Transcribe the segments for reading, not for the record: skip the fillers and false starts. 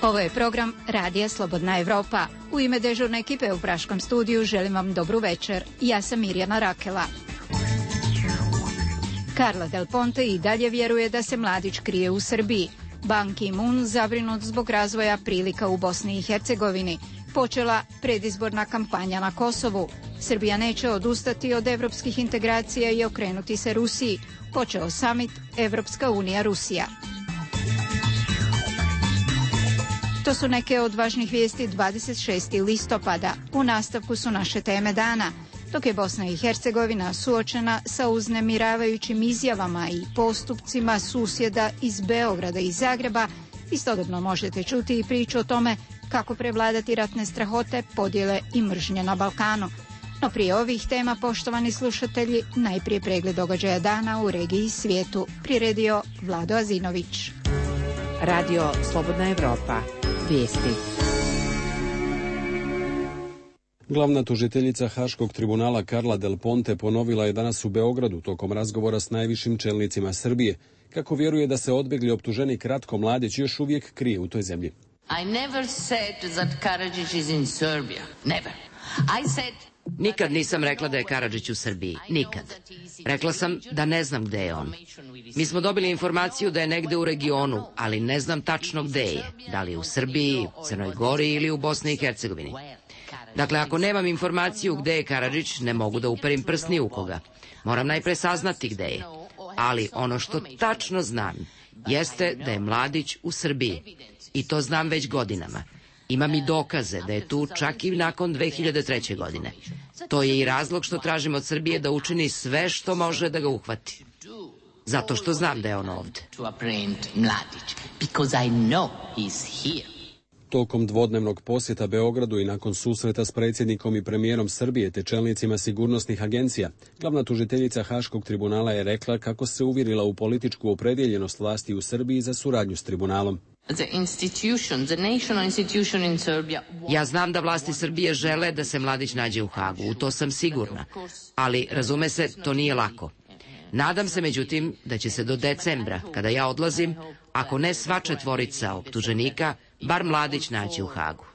Ovo je program Radija Slobodna Evropa. U ime dežurne ekipe u Praškom studiju želim vam dobru večer. Ja sam Mirjana Rakela. Carla Del Ponte i dalje vjeruje da se mladić krije u Srbiji. Ban Ki-moon zabrinut zbog razvoja prilika u Bosni i Hercegovini. Počela predizborna kampanja na Kosovu. Srbija neće odustati od evropskih integracija i okrenuti se Rusiji. Počeo samit Evropska unija Rusija. To su neke od važnih vijesti 26. listopada. U nastavku su naše teme dana. Dok je Bosna i Hercegovina suočena sa uznemiravajućim izjavama i postupcima susjeda iz Beograda i Zagreba, istodobno možete čuti i priču o tome kako prevladati ratne strahote, podjele i mržnje na Balkanu. No prije ovih tema, poštovani slušatelji, najprije pregled događaja dana u regiji i svijetu. Priredio Vlado Azinović. Radio Slobodna Evropa. Vijesti. Glavna tužiteljica Haškog tribunala Carla Del Ponte ponovila je danas u Beogradu tokom razgovora s najvišim čelnicima Srbije kako vjeruje da se odbjegli optuženik Ratko Mladić još uvijek krije u toj zemlji. I never said that Karadzic is in Serbia. Never. I said Nikad nisam rekla da je Karadžić u Srbiji. Nikad. Rekla sam da ne znam gde je on. Mi smo dobili informaciju da je negde u regionu, ali ne znam tačno gde je. Da li je u Srbiji, Crnoj Gori ili u Bosni i Hercegovini. Dakle, ako nemam informaciju gde je Karadžić, ne mogu da uperim prst ni u koga. Moram najpre saznati gde je. Ali ono što tačno znam jeste da je Mladić u Srbiji. I to znam već godinama. Imam i dokaze da je tu čak i nakon 2003. godine. To je i razlog što tražim od Srbije da učini sve što može da ga uhvati. Zato što znam da je on ovde. Tokom dvodnevnog posjeta Beogradu i nakon susreta s predsjednikom i premijerom Srbije te čelnicima sigurnosnih agencija, glavna tužiteljica Haškog tribunala je rekla kako se uvjerila u političku opredjeljenost vlasti u Srbiji za suradnju s tribunalom. Ja znam da vlasti Srbije žele da se Mladić nađe u Hagu, u to sam sigurna. Ali, razume se, to nije lako. Nadam se, međutim, da će se do decembra, kada ja odlazim, ako ne sva četvorica optuženika, bar Mladić naći u Hagu.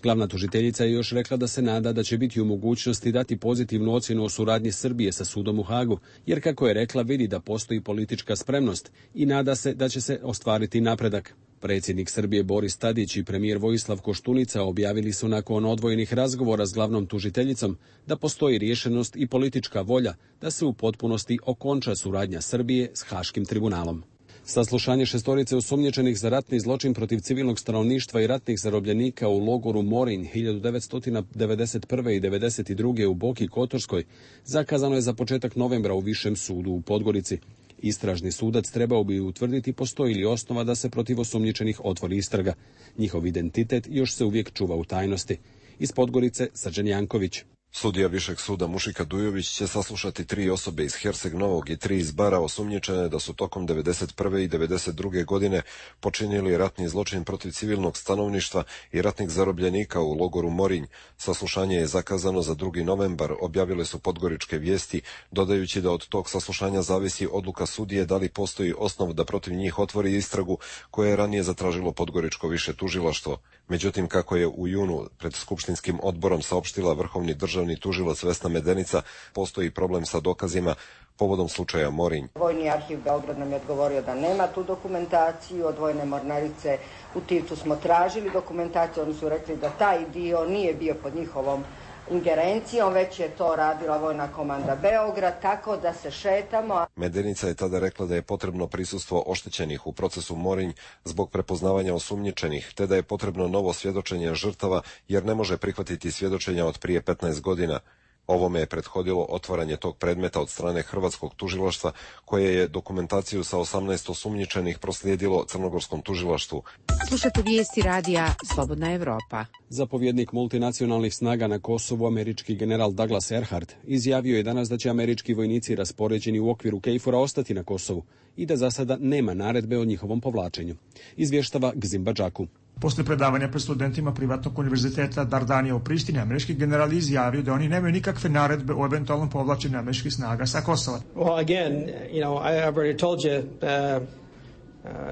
Glavna tužiteljica je još rekla da se nada da će biti u mogućnosti dati pozitivnu ocjenu o suradnji Srbije sa sudom u Hagu, jer kako je rekla vidi da postoji politička spremnost i nada se da će se ostvariti napredak. Predsjednik Srbije Boris Tadić i premijer Vojislav Koštunica objavili su nakon odvojenih razgovora s glavnom tužiteljicom da postoji rješenost i politička volja da se u potpunosti okonča suradnja Srbije s Haškim tribunalom. Saslušanje šestorice osumnjičenih za ratni zločin protiv civilnog stanovništva i ratnih zarobljenika u logoru Morin 1991. i 1992. u Boki Kotorskoj zakazano je za početak novembra u Višem sudu u Podgorici. Istražni sudac trebao bi utvrditi postoji li osnova da se protiv osumnjičenih otvori istraga. Njihov identitet još se uvijek čuva u tajnosti. Iz Podgorice, Srđan Janković. Sudija Višeg suda Mušika Dujović će saslušati 3 osobe iz Herceg Novog i 3 iz Bara osumnjičene da su tokom 1991. i 1992. godine počinili ratni zločin protiv civilnog stanovništva i ratnih zarobljenika u logoru Morinj. Saslušanje je zakazano za 2. novembar, objavile su Podgoričke vijesti, dodajući da od tog saslušanja zavisi odluka sudije da li postoji osnov da protiv njih otvori istragu koje je ranije zatražilo Podgoričko više tužilaštvo. Međutim, kako je u junu pred Skupštinskim odborom saopštila vrhovni državni tužilac Vesna Medenica, postoji problem sa dokazima povodom slučaja Morinj. Vojni arhiv Beograd nam je odgovorio da nema tu dokumentaciju, od Vojne mornarice u Tivtu smo tražili dokumentaciju, oni su rekli da taj dio nije bio pod njihovom ingerencijom, već je to radila Vojna komanda Beograd, tako da se šetamo. Medenica je tada rekla da je potrebno prisustvo oštećenih u procesu Morinj zbog prepoznavanja osumnjičenih, te da je potrebno novo svjedočenje žrtava jer ne može prihvatiti svjedočenja od prije 15 godina. Ovome je prethodilo otvaranje tog predmeta od strane hrvatskog tužilaštva, koje je dokumentaciju sa 18 osumnjičenih proslijedilo crnogorskom tužilaštvu. Slušate vijesti radija Slobodna Evropa. Zapovjednik multinacionalnih snaga na Kosovu, američki general Douglas Erhard, izjavio je danas da će američki vojnici raspoređeni u okviru KFOR-a ostati na Kosovu i da za sada nema naredbe o njihovom povlačenju. Izvještava Gzim Badžaku. Posle predavanja pred studentima privatnog univerziteta Dardanija u Prištini, američki general izjavio da oni nemaju nikakve naredbe o eventualnom povlačenju američkih snaga sa Kosova. Well, again, I've already told you,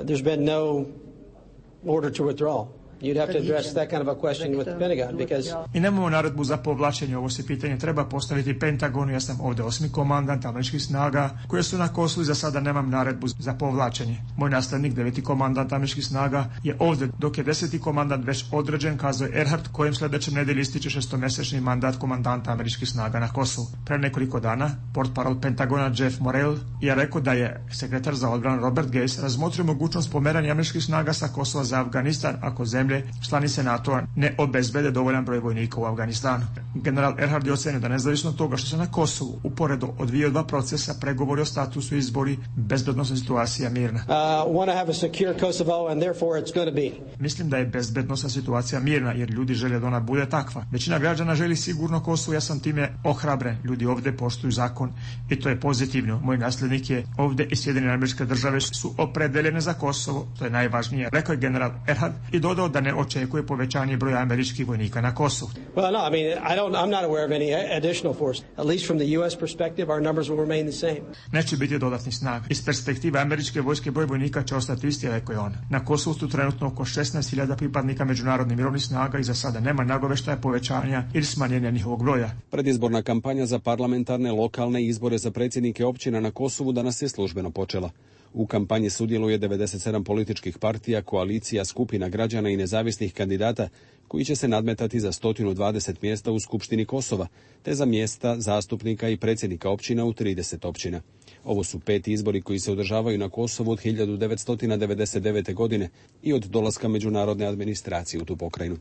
there's been no order to withdraw. You'd have to address that kind of a question with the Pentagon because... I nemamo naredbu za povlačenje, ovo se pitanje treba postaviti Pentagonu. Ja sam ovde 8. komandant američkih snaga koje su na Kosovu i za sada nemam naredbu za povlačenje. Moj naslednik, 9. komandant američkih snaga, je ovde, dok je 10. komandant već određen, kazao je Erhard, kojem sledećem nedelji ističe 6-mesečni mandat komandanta američkih snaga na Kosovu. Pre nekoliko dana, portparol Pentagona Jeff Morrell je rekao da je sekretar za odbranu Robert Gates razmotrio mogućnost pomeranja američkih snaga sa Kosova za Afganistan ako zemlje članice NATO-a ne obezbede dovoljan broj vojnika u Afganistanu. General Erhard je ocenio da nezavisno od toga što se na Kosovu uporedo odvijaju dva procesa, pregovori o statusu i izbori, bezbednosna situacija mirna. Mislim da je bezbednosna situacija mirna jer ljudi žele da ona bude takva. Većina građana želi sigurno Kosovo, ja sam time ohrabren. Ljudi ovde poštuju zakon i to je pozitivno. Moj naslednik je ovde i Sjedinjene Američke Države su opredeljene za Kosovo, to je najvažnije, rekao je general Erhard i dodao da ne očekuje povećanje broja američkih vojnika na Kosovu. Well, no, I mean, I'm not aware of any additional force. At least from the US perspective, our numbers will remain the same. Neće biti dodatnih snaga. Iz perspektive američke vojske broj vojnika će ostati isti, rekao je on. Na Kosovu su trenutno oko 16.000 pripadnika međunarodnih mirovnih snaga i za sada nema nagoveštaja povećanja ili smanjenja njihovog broja. Predizborna kampanja za parlamentarne, lokalne izbore za predsjednike općina na Kosovu danas je službeno počela. U kampanji sudjeluje 97 političkih partija, koalicija, skupina građana i nezavisnih kandidata koji će se nadmetati za 120 mjesta u Skupštini Kosova, te za mjesta zastupnika i predsjednika općina u 30 općina. Ovo su 5 izbori koji se održavaju na Kosovu od 1999. godine i od dolaska međunarodne administracije u tu pokrajinu.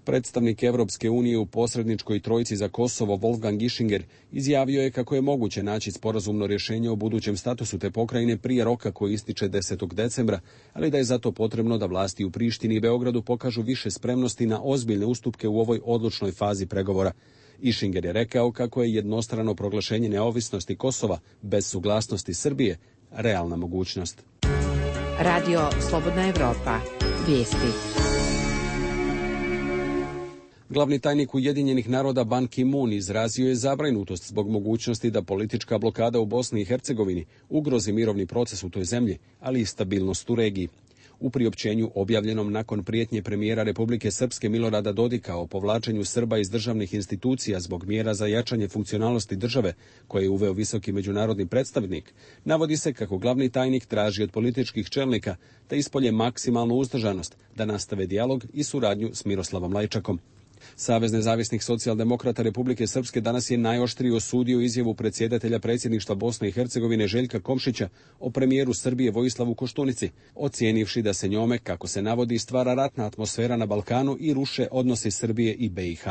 Predstavnik Evropske unije u posredničkoj trojci za Kosovo Wolfgang Ischinger izjavio je kako je moguće naći sporazumno rješenje o budućem statusu te pokrajine prije roka koji ističe 10. decembra, ali da je zato potrebno da vlasti u Prištini i Beogradu pokažu više spremnosti na ozbiljne ustupke u ovoj odlučnoj fazi pregovora. Ischinger je rekao kako je jednostrano proglašenje neovisnosti Kosova bez suglasnosti Srbije realna mogućnost. Radio Slobodna Evropa. Vijesti. Glavni tajnik Ujedinjenih naroda Ban Ki-moon izrazio je zabrinutost zbog mogućnosti da politička blokada u Bosni i Hercegovini ugrozi mirovni proces u toj zemlji, ali i stabilnost u regiji. U priopćenju objavljenom nakon prijetnje premijera Republike Srpske Milorada Dodika o povlačenju Srba iz državnih institucija zbog mjera za jačanje funkcionalnosti države, koje je uveo visoki međunarodni predstavnik, navodi se kako glavni tajnik traži od političkih čelnika da ispolje maksimalnu uzdržanost, da nastave dijalog i suradnju s Miroslavom Lajčakom. Savez nezavisnih socijaldemokrata Republike Srpske danas je najoštrije osudio izjavu predsjedatelja predsjedništva Bosne i Hercegovine Željka Komšića o premijeru Srbije Vojislavu Koštunici, ocijenivši da se njome, kako se navodi, stvara ratna atmosfera na Balkanu i ruše odnosi Srbije i BiH.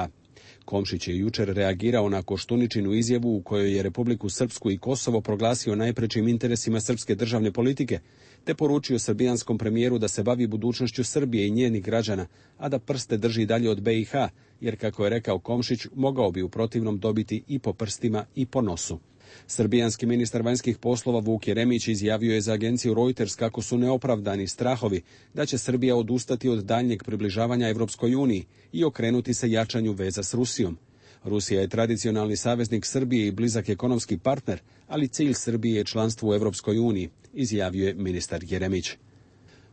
Komšić je jučer reagirao na Koštuničinu izjavu u kojoj je Republiku Srpsku i Kosovo proglasio najprečim interesima srpske državne politike, te poručio srbijanskom premijeru da se bavi budućnošću Srbije i njenih građana, a da prste drži dalje od BiH, jer, kako je rekao Komšić, mogao bi u protivnom dobiti i po prstima i po nosu. Srbijanski ministar vanjskih poslova Vuk Jeremić izjavio je za agenciju Reuters kako su neopravdani strahovi da će Srbija odustati od daljnjeg približavanja Evropskoj uniji i okrenuti se jačanju veza s Rusijom. Rusija je tradicionalni saveznik Srbije i blizak ekonomski partner, ali cilj Srbije je članstvo u Evropskoj uniji, izjavio je ministar Jeremić.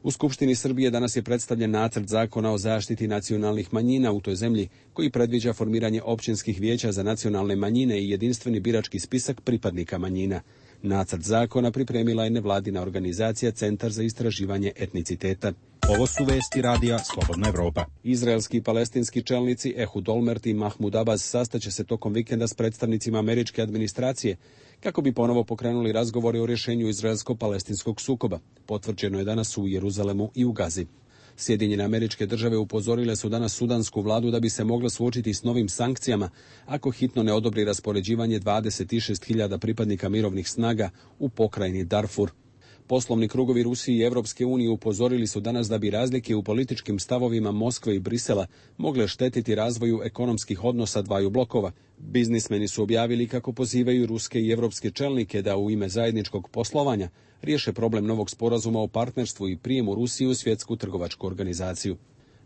U Skupštini Srbije danas je predstavljen nacrt zakona o zaštiti nacionalnih manjina u toj zemlji, koji predviđa formiranje općinskih vijeća za nacionalne manjine i jedinstveni birački spisak pripadnika manjina. Nacrt zakona pripremila je nevladina organizacija Centar za istraživanje etniciteta. Ovo su vesti radija Slobodna Evropa. Izraelski i palestinski čelnici Ehud Olmert i Mahmud Abbas sastaće se tokom vikenda s predstavnicima američke administracije kako bi ponovo pokrenuli razgovore o rješenju izraelsko-palestinskog sukoba. Potvrđeno je danas u Jeruzalemu i u Gazi. Sjedinjene Američke Države upozorile su danas sudansku vladu da bi se mogla suočiti s novim sankcijama ako hitno ne odobri raspoređivanje 26.000 pripadnika mirovnih snaga u pokrajini Darfur. Poslovni krugovi Rusije i Evropske unije upozorili su danas da bi razlike u političkim stavovima Moskve i Brisela mogle štetiti razvoju ekonomskih odnosa dvaju blokova. Biznismeni su objavili kako pozivaju ruske i evropske čelnike da u ime zajedničkog poslovanja riješe problem novog sporazuma o partnerstvu i prijemu Rusije u svjetsku trgovačku organizaciju.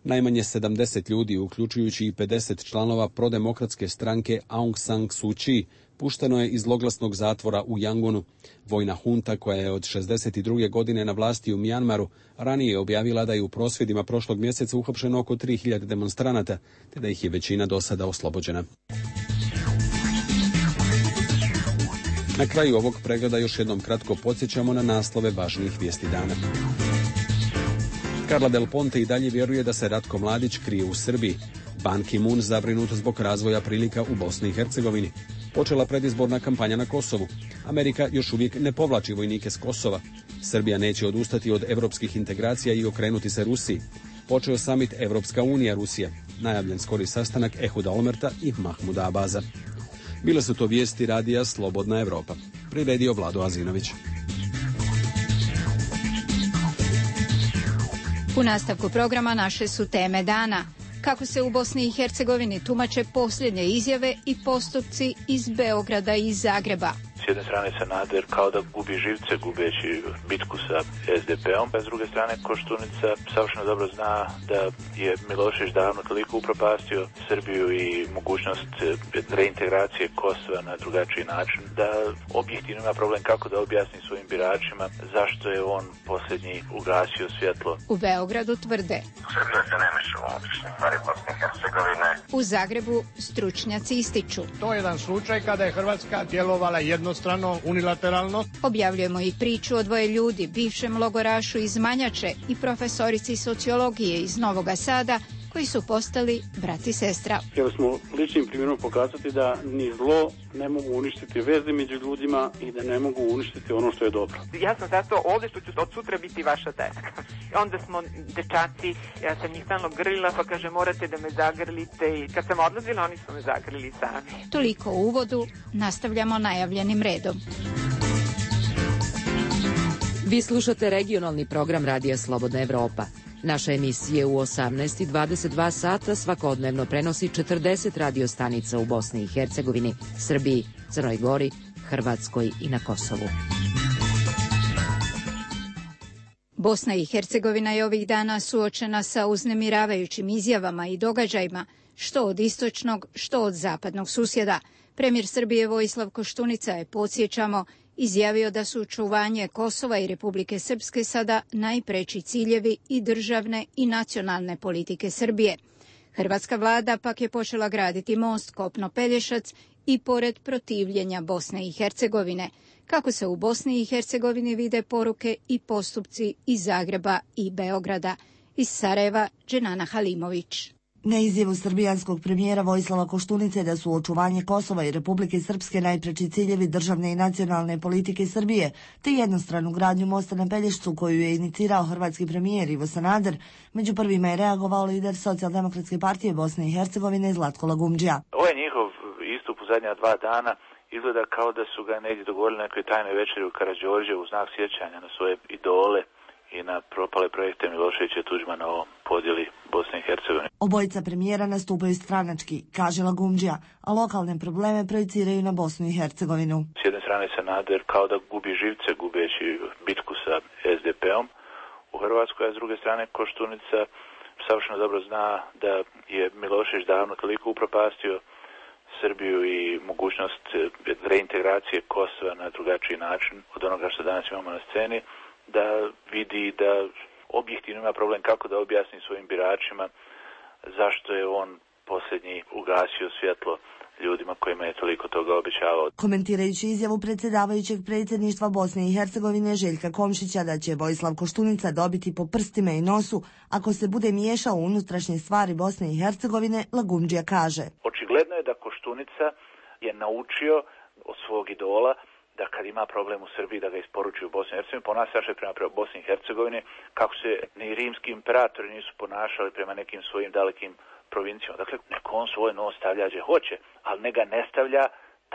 Najmanje 70 ljudi, uključujući i 50 članova prodemokratske stranke Aung San Suu Kyi, pušteno je iz zloglasnog zatvora u Yangunu. Vojna hunta, koja je od 62. godine na vlasti u Mjanmaru, ranije je objavila da je u prosvjedima prošlog mjeseca uhapšeno oko 3000 demonstranata, te da ih je većina do sada oslobođena. Na kraju ovog pregleda još jednom kratko podsjećamo na naslove važnijih vijesti dana. Carla Del Ponte i dalje vjeruje da se Ratko Mladić krije u Srbiji. Ban Ki-moon zabrinut zbog razvoja prilika u Bosni i Hercegovini. Počela predizborna kampanja na Kosovu. Amerika još uvijek ne povlači vojnike s Kosova. Srbija neće odustati od evropskih integracija i okrenuti se Rusiji. Počeo samit Evropska unija Rusija. Najavljen skori sastanak Ehuda Olmerta i Mahmuda Abaza. Bile su to vijesti radija Slobodna Evropa. Priredio Vlado Azinović. U nastavku programa naše su teme dana. Kako se u Bosni i Hercegovini tumače posljednje izjave i postupci iz Beograda i Zagreba. S jedne strane Sanader kao da gubi živce gubeći bitku sa SDP-om, a s druge strane Koštunica savršeno dobro zna da je Milošević davno toliko upropastio Srbiju i mogućnost reintegracije Kosova na drugačiji način, da objektivno ima problem kako da objasni svojim biračima zašto je on posljednji ugasio svjetlo. U Beogradu tvrde. Srbija se ne meša u unutrašnje stvari Bosne i Hercegovine. U Zagrebu stručnjaci ističu. To je jedan slučaj kada je Hrvatska djelovala jednostrano, unilateralno. Objavljujemo i priču o dvoje ljudi, bivšem logorašu iz Manjače i profesorici sociologije iz Novoga Sada, koji su postali brat i sestra. Htjeli smo ličnim primjerom pokazati da ni zlo ne mogu uništiti veze među ljudima i da ne mogu uništiti ono što je dobro. Ja sam zato ovdje što ću od sutra biti vaša tetka. Onda smo dečaci, ja sam njih stalno grlila, pa kaže morate da me zagrlite, i kad sam odlazila oni su me zagrlili sami. Toliko u uvodu, nastavljamo najavljenim redom. Vi slušate regionalni program Radija Slobodna Evropa. Naša emisija u 18:22 sata svakodnevno prenosi 40 radiostanica u Bosni i Hercegovini, Srbiji, Crnoj Gori, Hrvatskoj i na Kosovu. Bosna i Hercegovina je ovih dana suočena sa uznemiravajućim izjavama i događajima, što od istočnog, što od zapadnog susjeda. Premijer Srbije Vojislav Koštunica je, podsjećamo, izjavio da su očuvanje Kosova i Republike Srpske sada najpreći ciljevi i državne i nacionalne politike Srbije. Hrvatska vlada pak je počela graditi most Kopno-Pelješac i pored protivljenja Bosne i Hercegovine. Kako se u Bosni i Hercegovini vide poruke i postupci iz Zagreba i Beograda. Iz Sarajeva, Dženana Halimović. Na izjavu srbijanskog premijera Vojislava Koštunice da su očuvanje Kosova i Republike Srpske najpreći ciljevi državne i nacionalne politike Srbije, te jednostranu gradnju mosta na Pelješcu koju je inicirao hrvatski premijer Ivo Sanader, među prvima je reagovao lider Socijaldemokratske partije Bosne i Hercegovine Zlatko Lagumdžija. Ovo je njihov istup u zadnja 2 dana. Izgleda kao da su ga negdje dogovorili nekoj tajnoj večeri u Karađorđe u znak sjećanja na svoje idole i na propale projekte Miloševića i Tuđmana o podjeli Bosne i Hercegovine. Obojica premijera nastupaju stranački, kaže Lagumdžija, a lokalne probleme projiciraju na Bosnu i Hercegovinu. S jedne strane Sanader kao da gubi živce gubeći bitku sa SDP-om u Hrvatskoj, a s druge strane Koštunica savršeno dobro zna da je Milošević davno toliko upropastio Srbiju i mogućnost reintegracije Kosova na drugačiji način od onoga što danas imamo na sceni, da vidi da objektivno ima problem kako da objasni svojim biračima zašto je on posljednji ugasio svjetlo ljudima kojima je toliko toga obećavao. Komentirajući izjavu predsjedavajućeg predsjedništva Bosne i Hercegovine Željka Komšića da će Vojislav Koštunica dobiti po prstima i nosu ako se bude miješao u unutrašnje stvari Bosne i Hercegovine, Lagumdžija kaže. Očigledno je da Koštunica je naučio od svog idola da kad ima problem u Srbiji da ga isporuči u Bosni i Hercegovini, ponaša prema Bosni i Hercegovini kako se ni rimski imperatori nisu ponašali prema nekim svojim dalekim provincijama. Dakle, neko on svoj nos stavlja gdje hoće, ali ne ga ne stavlja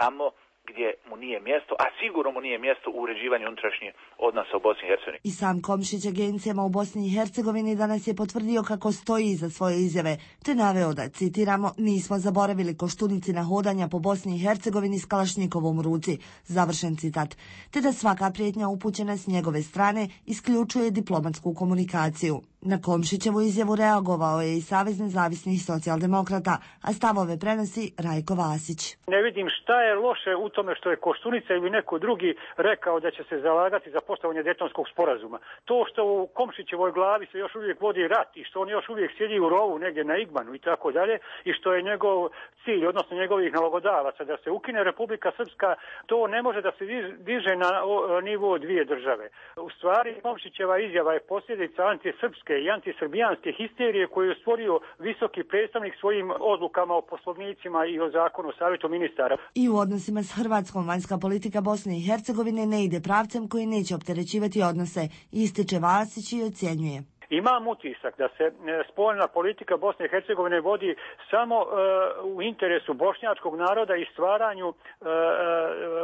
tamo gdje mu nije mjesto, a sigurno mu nije mjesto u uređivanju unutrašnjih odnosa u Bosni i Hercegovini. I sam Komšić agencijama u Bosni i Hercegovini danas je potvrdio kako stoji iza svoje izjave, te naveo da, citiramo, nismo zaboravili Koštunici na hodanja po Bosni i Hercegovini s kalašnjikovom u ruci, završen citat, te da svaka prijetnja upućena s njegove strane isključuje diplomatsku komunikaciju. Na Komšićevu izjavu reagovao je i Savez nezavisnih socijaldemokrata, a stavove prenosi Rajko Vasić. Ne vidim šta je loše u tome što je Koštunica ili neko drugi rekao da će se zalagati za poštovanje Dejtonskog sporazuma. To što u Komšićevoj glavi se još uvijek vodi rat i što on još uvijek sjedi u rovu negdje na Igmanu i tako dalje i što je njegov cilj, odnosno njegovih nalogodavaca da se ukine Republika Srpska, to ne može da se diže na nivo dvije države. U stvari Komšićeva izjava je posljedica antisrpske i antisrbijanske histerije koju je stvorio visoki predstavnik svojim odlukama o poslovnicima i o zakonu o savjetu ministara. I u odnosima s Hrvatskom vanjska politika Bosne i Hercegovine ne ide pravcem koji neće opterećivati odnose, ističe Vasić i ocjenjuje. Imam utisak da se spoljna politika Bosne i Hercegovine vodi samo u interesu bošnjačkog naroda i stvaranju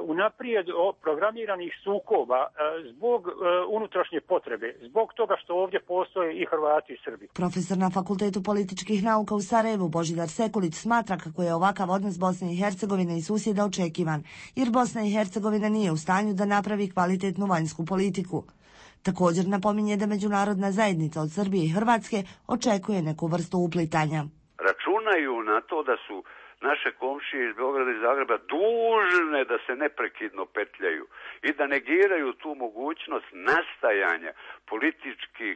unaprijed programiranih sukoba zbog unutrašnje potrebe, zbog toga što ovdje postoje i Hrvati i Srbi. Profesor na Fakultetu političkih nauka u Sarajevu Božidar Sekulić smatra kako je ovakav odnos Bosne i Hercegovine i susjeda očekivan, jer Bosna i Hercegovina nije u stanju da napravi kvalitetnu vanjsku politiku. Također napominje da međunarodna zajednica od Srbije i Hrvatske očekuje neku vrstu uplitanja. Računaju na to da su naše komšije iz Beograda i Zagreba dužne da se neprekidno petljaju i da negiraju tu mogućnost nastajanja političkih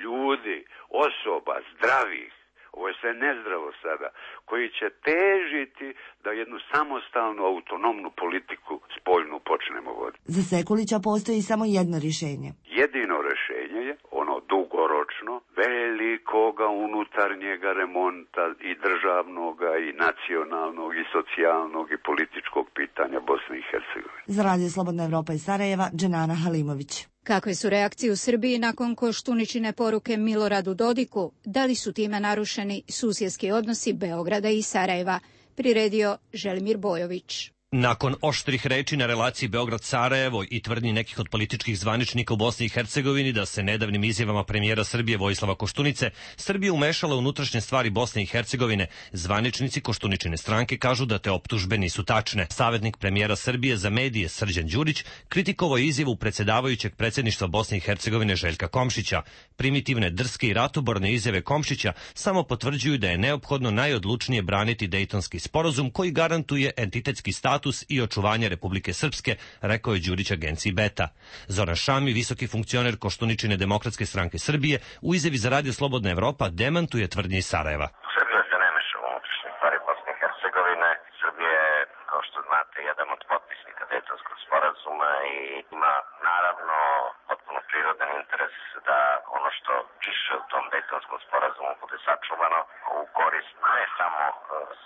ljudi, osoba, zdravih, ovo je sve nezdravo sada, koji će težiti da jednu samostalnu, autonomnu politiku spoljnu počnemo voditi. Za Sekulića postoji samo jedno rješenje. Jedino rješenje je ono dugoročno, velikoga unutarnjega remonta i državnoga i nacionalnog i socijalnog i političkog pitanja Bosne i Hercegovine. Za Radio Slobodna Evropa iz Sarajeva, Dženana Halimović. Kakve su reakcije u Srbiji nakon Koštuničine poruke Miloradu Dodiku? Da li su time narušeni susjedski odnosi Beograda i Sarajeva? Priredio Želimir Bojović. Nakon oštrih reči na relaciji Beograd-Sarajevo i tvrdnji nekih od političkih zvaničnika u Bosni i Hercegovini da se nedavnim izjavama premijera Srbije Vojislava Koštunice Srbija umešala u unutrašnje stvari Bosne i Hercegovine, zvaničnici Koštuničine stranke kažu da te optužbe nisu tačne. Savetnik premijera Srbije za medije Srđan Đurić kritikovao je izjavu predsjedavajućeg predsjedništva Bosne i Hercegovine Željka Komšića. Primitivne, drske i ratoborne izjave Komšića samo potvrđuju da je neophodno najodlučnije braniti Dejtonski sporazum koji garantuje entitetski status i očuvanje Republike Srpske, rekao je Đurić agenciji Beta. Zoran Šami, visoki funkcioner Koštuničine demokratske stranke Srbije, u izjavi za Radio Slobodna Evropa demantuje tvrdnje iz Sarajeva. Srbija se ne meša u unutrašnje stvari Bosne i Hercegovine. Srbija je, kao što znate, jedan od potpisnika Dejtonskog sporazuma i ima naravno potpuno prirodan interes da ono što piše u tom Dejtonskom sporazumu bude sačuvano u korist ne samo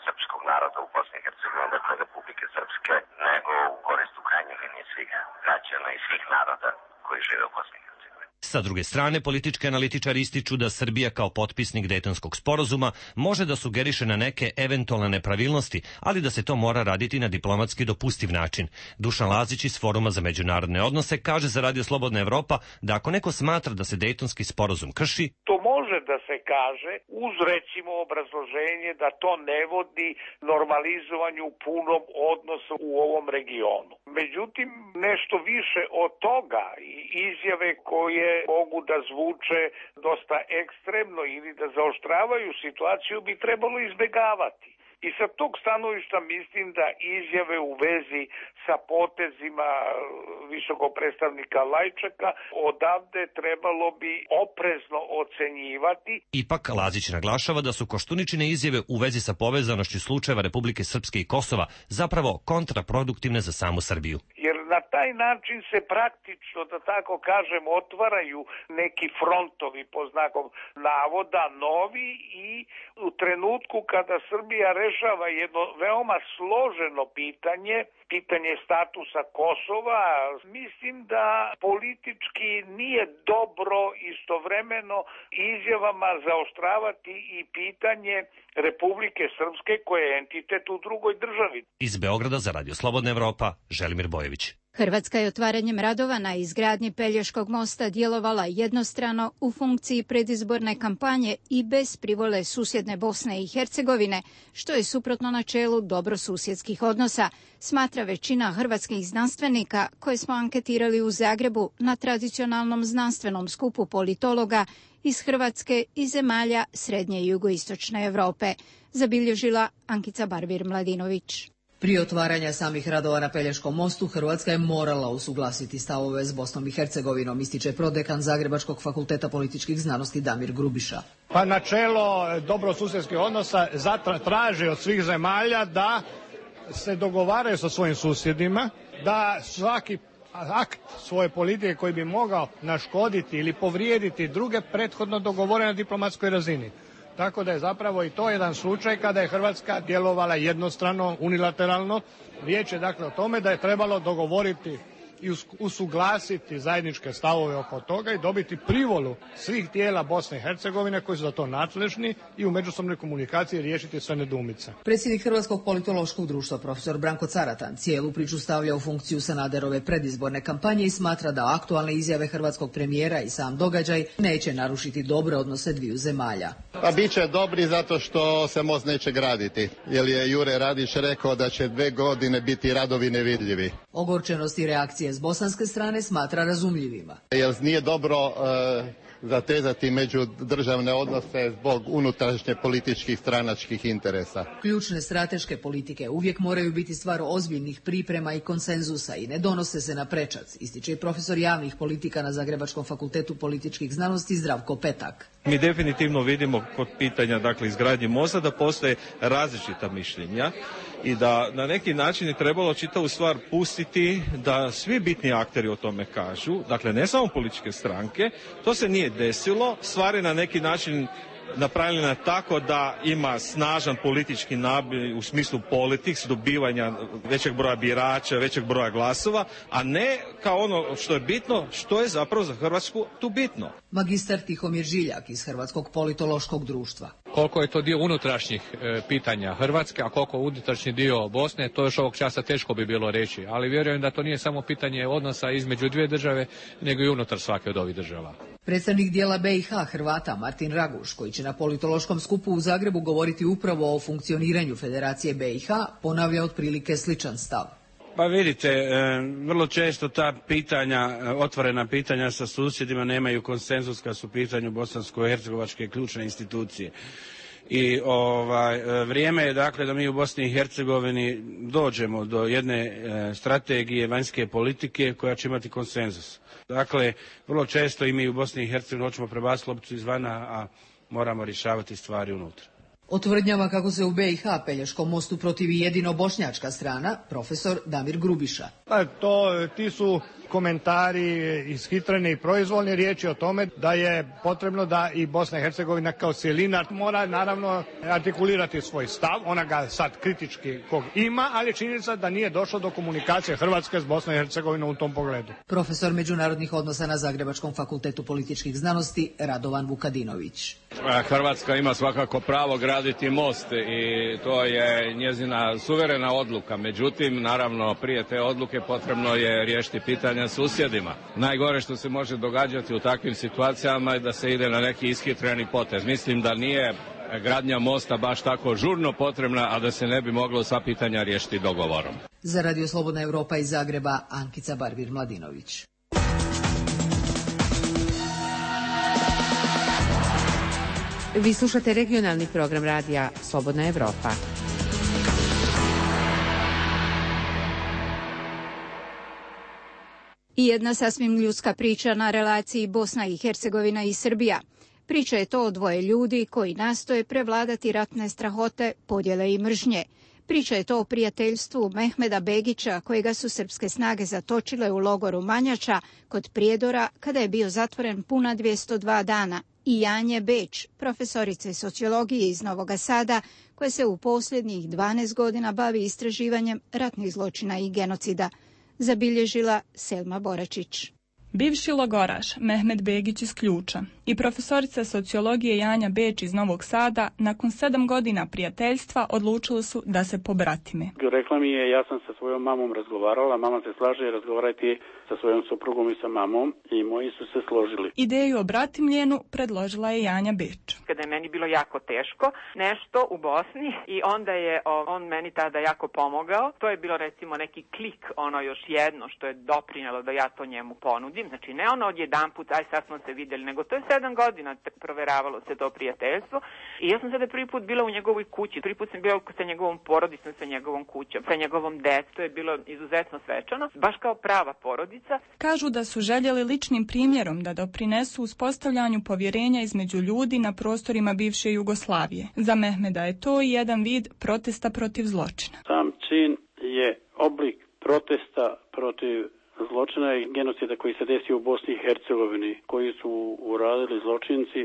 srpskog naroda u Bosni i Hercegovini, dakle Republike Srpske, nego u korist u krajnjoj liniji svih građana i svih naroda koji žive u Bosni i Hercegovini. Sa druge strane, politički analitičari ističu da Srbija kao potpisnik Dejtonskog sporazuma može da sugeriše na neke eventualne nepravilnosti, ali da se to mora raditi na diplomatski dopustiv način. Dušan Lazić iz Foruma za međunarodne odnose kaže za Radio Slobodna Evropa da ako neko smatra da se Dejtonski sporazum krši, to može da se kaže uz recimo obrazloženje da to ne vodi normalizovanju punom odnosu u ovom regionu. Međutim, nešto više od toga i izjave koje mogu da zvuče dosta ekstremno ili da zaoštravaju situaciju bi trebalo izbjegavati. I sa tog stanovišta mislim da izjave u vezi sa potezima visokog predstavnika Lajčaka odavde trebalo bi oprezno ocenjivati. Ipak Lazić naglašava da su Koštuničine izjave u vezi sa povezanošću slučajeva Republike Srpske i Kosova zapravo kontraproduktivne za samu Srbiju. Jer na taj način se praktično, da tako kažem, otvaraju neki frontovi po znakom navoda novi i u trenutku kada Srbija rešava jedno veoma složeno pitanje statusa Kosova, mislim da politički nije dobro istovremeno izjavama zaoštravati i pitanje Republike Srpske koja je entitet u drugoj državi. Iz Beograda za Radio Slobodna Evropa, Želimir Bojević. Hrvatska je otvaranjem radova na izgradnji Pelješkog mosta djelovala jednostrano u funkciji predizborne kampanje i bez privole susjedne Bosne i Hercegovine, što je suprotno načelu dobrosusjedskih odnosa, smatra većina hrvatskih znanstvenika koje smo anketirali u Zagrebu na tradicionalnom znanstvenom skupu politologa iz Hrvatske i zemalja srednje i jugoistočne Europe, zabilježila Ankica Barbir-Mladinović. Prije otvaranja samih radova na Pelješkom mostu Hrvatska je morala usuglasiti stavove s Bosnom i Hercegovinom, ističe prodekan Zagrebačkog fakulteta političkih znanosti Damir Grubiša. Pa načelo dobrosusjedskih odnosa traži od svih zemalja da se dogovaraju sa svojim susjedima, da svaki akt svoje politike koji bi mogao naškoditi ili povrijediti druge prethodno dogovore na diplomatskoj razini. Tako da je zapravo i to jedan slučaj kada je Hrvatska djelovala jednostrano, unilateralno. Riječ je dakle o tome da je trebalo dogovoriti i usuglasiti zajedničke stavove oko toga i dobiti privolu svih tijela Bosne i Hercegovine koji su za to nadležni i u međusobnoj komunikaciji riješiti sve nedoumice. Predsjednik Hrvatskog politološkog društva profesor Branko Caratan cijelu priču stavlja u funkciju Sanaderove predizborne kampanje i smatra da aktualne izjave hrvatskog premijera i sam događaj neće narušiti dobre odnose dviju zemalja. Pa bit će dobri zato što se most neće graditi, jer je Jure Radić rekao da će 2 godine biti radovi nevidljivi. Ogorčenost i reakcije s bosanske strane smatra razumljivima. Jer nije dobro zatezati međudržavne odnose zbog unutrašnje političkih stranačkih interesa. Ključne strateške politike uvijek moraju biti stvar ozbiljnih priprema i konsenzusa i ne donose se na prečac, ističe i profesor javnih politika na Zagrebačkom fakultetu političkih znanosti Zdravko Petak. Mi definitivno vidimo kod pitanja izgradnje mosta da postoje različita mišljenja i da na neki način je trebalo čitavu stvar pustiti da svi bitni akteri o tome kažu, dakle ne samo političke stranke, to se nije desilo, stvar je na neki način napravljena tako da ima snažan politički naboj u smislu politiks, dobivanja većeg broja birača, većeg broja glasova, a ne kao ono što je bitno, što je zapravo za Hrvatsku tu bitno. Magistar Tihomir Žiljak iz Hrvatskog politološkog društva. Koliko je to dio unutrašnjih pitanja Hrvatske, a koliko unutrašnji dio Bosne, to još ovog časa teško bi bilo reći, ali vjerujem da to nije samo pitanje odnosa između dvije države, nego i unutar svake od ovih država. Predstavnik dijela BiH Hrvata Martin Raguš, koji će na politološkom skupu u Zagrebu govoriti upravo o funkcioniranju Federacije BiH, ponavlja otprilike sličan stav. Pa vidite, vrlo često ta pitanja, otvorena pitanja sa susjedima nemaju konsenzus kad su u pitanju bosansko-hercegovačke ključne institucije. I vrijeme je dakle da mi u Bosni i Hercegovini dođemo do jedne strategije vanjske politike koja će imati konsenzus. Dakle, vrlo često i mi u Bosni i Hercegovini hoćemo prebaciti lopticu izvana, a moramo rješavati stvari unutra. O tvrdnjama kako se u BiH Pelješkom mostu protivi jedino bošnjačka strana, profesor Damir Grubiša. Ti su komentari ishitreni i proizvoljni, riječi o tome da je potrebno da i Bosna i Hercegovina kao cjelina mora naravno artikulirati svoj stav, ona ga sad kritički kog ima, ali činjenica da nije došlo do komunikacije Hrvatske s Bosnom i Hercegovinom u tom pogledu. Profesor međunarodnih odnosa na Zagrebačkom fakultetu političkih znanosti Radovan Vukadinović. Hrvatska ima svakako pravo graditi most i to je njezina suverena odluka. Međutim, naravno, prije te odluke potrebno je riješiti pitanja susjedima. Najgore što se može događati u takvim situacijama je da se ide na neki ishitreni potez. Mislim da nije gradnja mosta baš tako žurno potrebna, a da se ne bi moglo sva pitanja riješiti dogovorom. Za Radio Slobodna Evropa iz Zagreba, Ankica Barbir-Mladinović. Vi slušate regionalni program radija Slobodna Evropa. I jedna sasvim ljudska priča na relaciji Bosna i Hercegovina i Srbija. Priča je to o dvoje ljudi koji nastoje prevladati ratne strahote, podjele i mržnje. Priča je to o prijateljstvu Mehmeda Begića, kojega su srpske snage zatočile u logoru Manjača kod Prijedora kada je bio zatvoren puna 202 dana, i Janje Beč, profesorice sociologije iz Novog Sada, koja se u posljednjih 12 godina bavi istraživanjem ratnih zločina i genocida, zabilježila Selma Boračić. Bivši logoraš Mehmed Begić iz Ključa i profesorica sociologije Janja Beč iz Novog Sada nakon 7 godina prijateljstva odlučili su da se pobratime. Rekla mi je, ja sam sa svojom mamom razgovarala, mama se slaže, razgovarajte sa svojom suprugom i sa mamom i moji su se složili. Ideju o bratimljenu predložila je Janja Beč. Kada je meni bilo jako teško nešto u Bosni i onda je on meni tada jako pomogao. To je bilo recimo neki klik, ono još jedno što je doprinjelo da ja to njemu ponudim. Znači ne ono odjedanput, aj sad smo se vidjeli, nego to je 7 godina proveravalo se to prijateljstvo. I ja sam sada prvi put bila u njegovoj kući, prvi put sam bila sa njegovom porodicom, sa njegovom kućom, sa njegovom decom. To je bilo izuzetno svečano, baš kao prava porodica. Kažu da su željeli ličnim primjerom da doprinesu uspostavljanju povjerenja između ljudi na prostorima bivše Jugoslavije. Za Mehmeda je to i jedan vid protesta protiv zločina. Sam čin je oblik protesta protiv zločina i genocida koji se desio u Bosni i Hercegovini, koji su uradili zločinci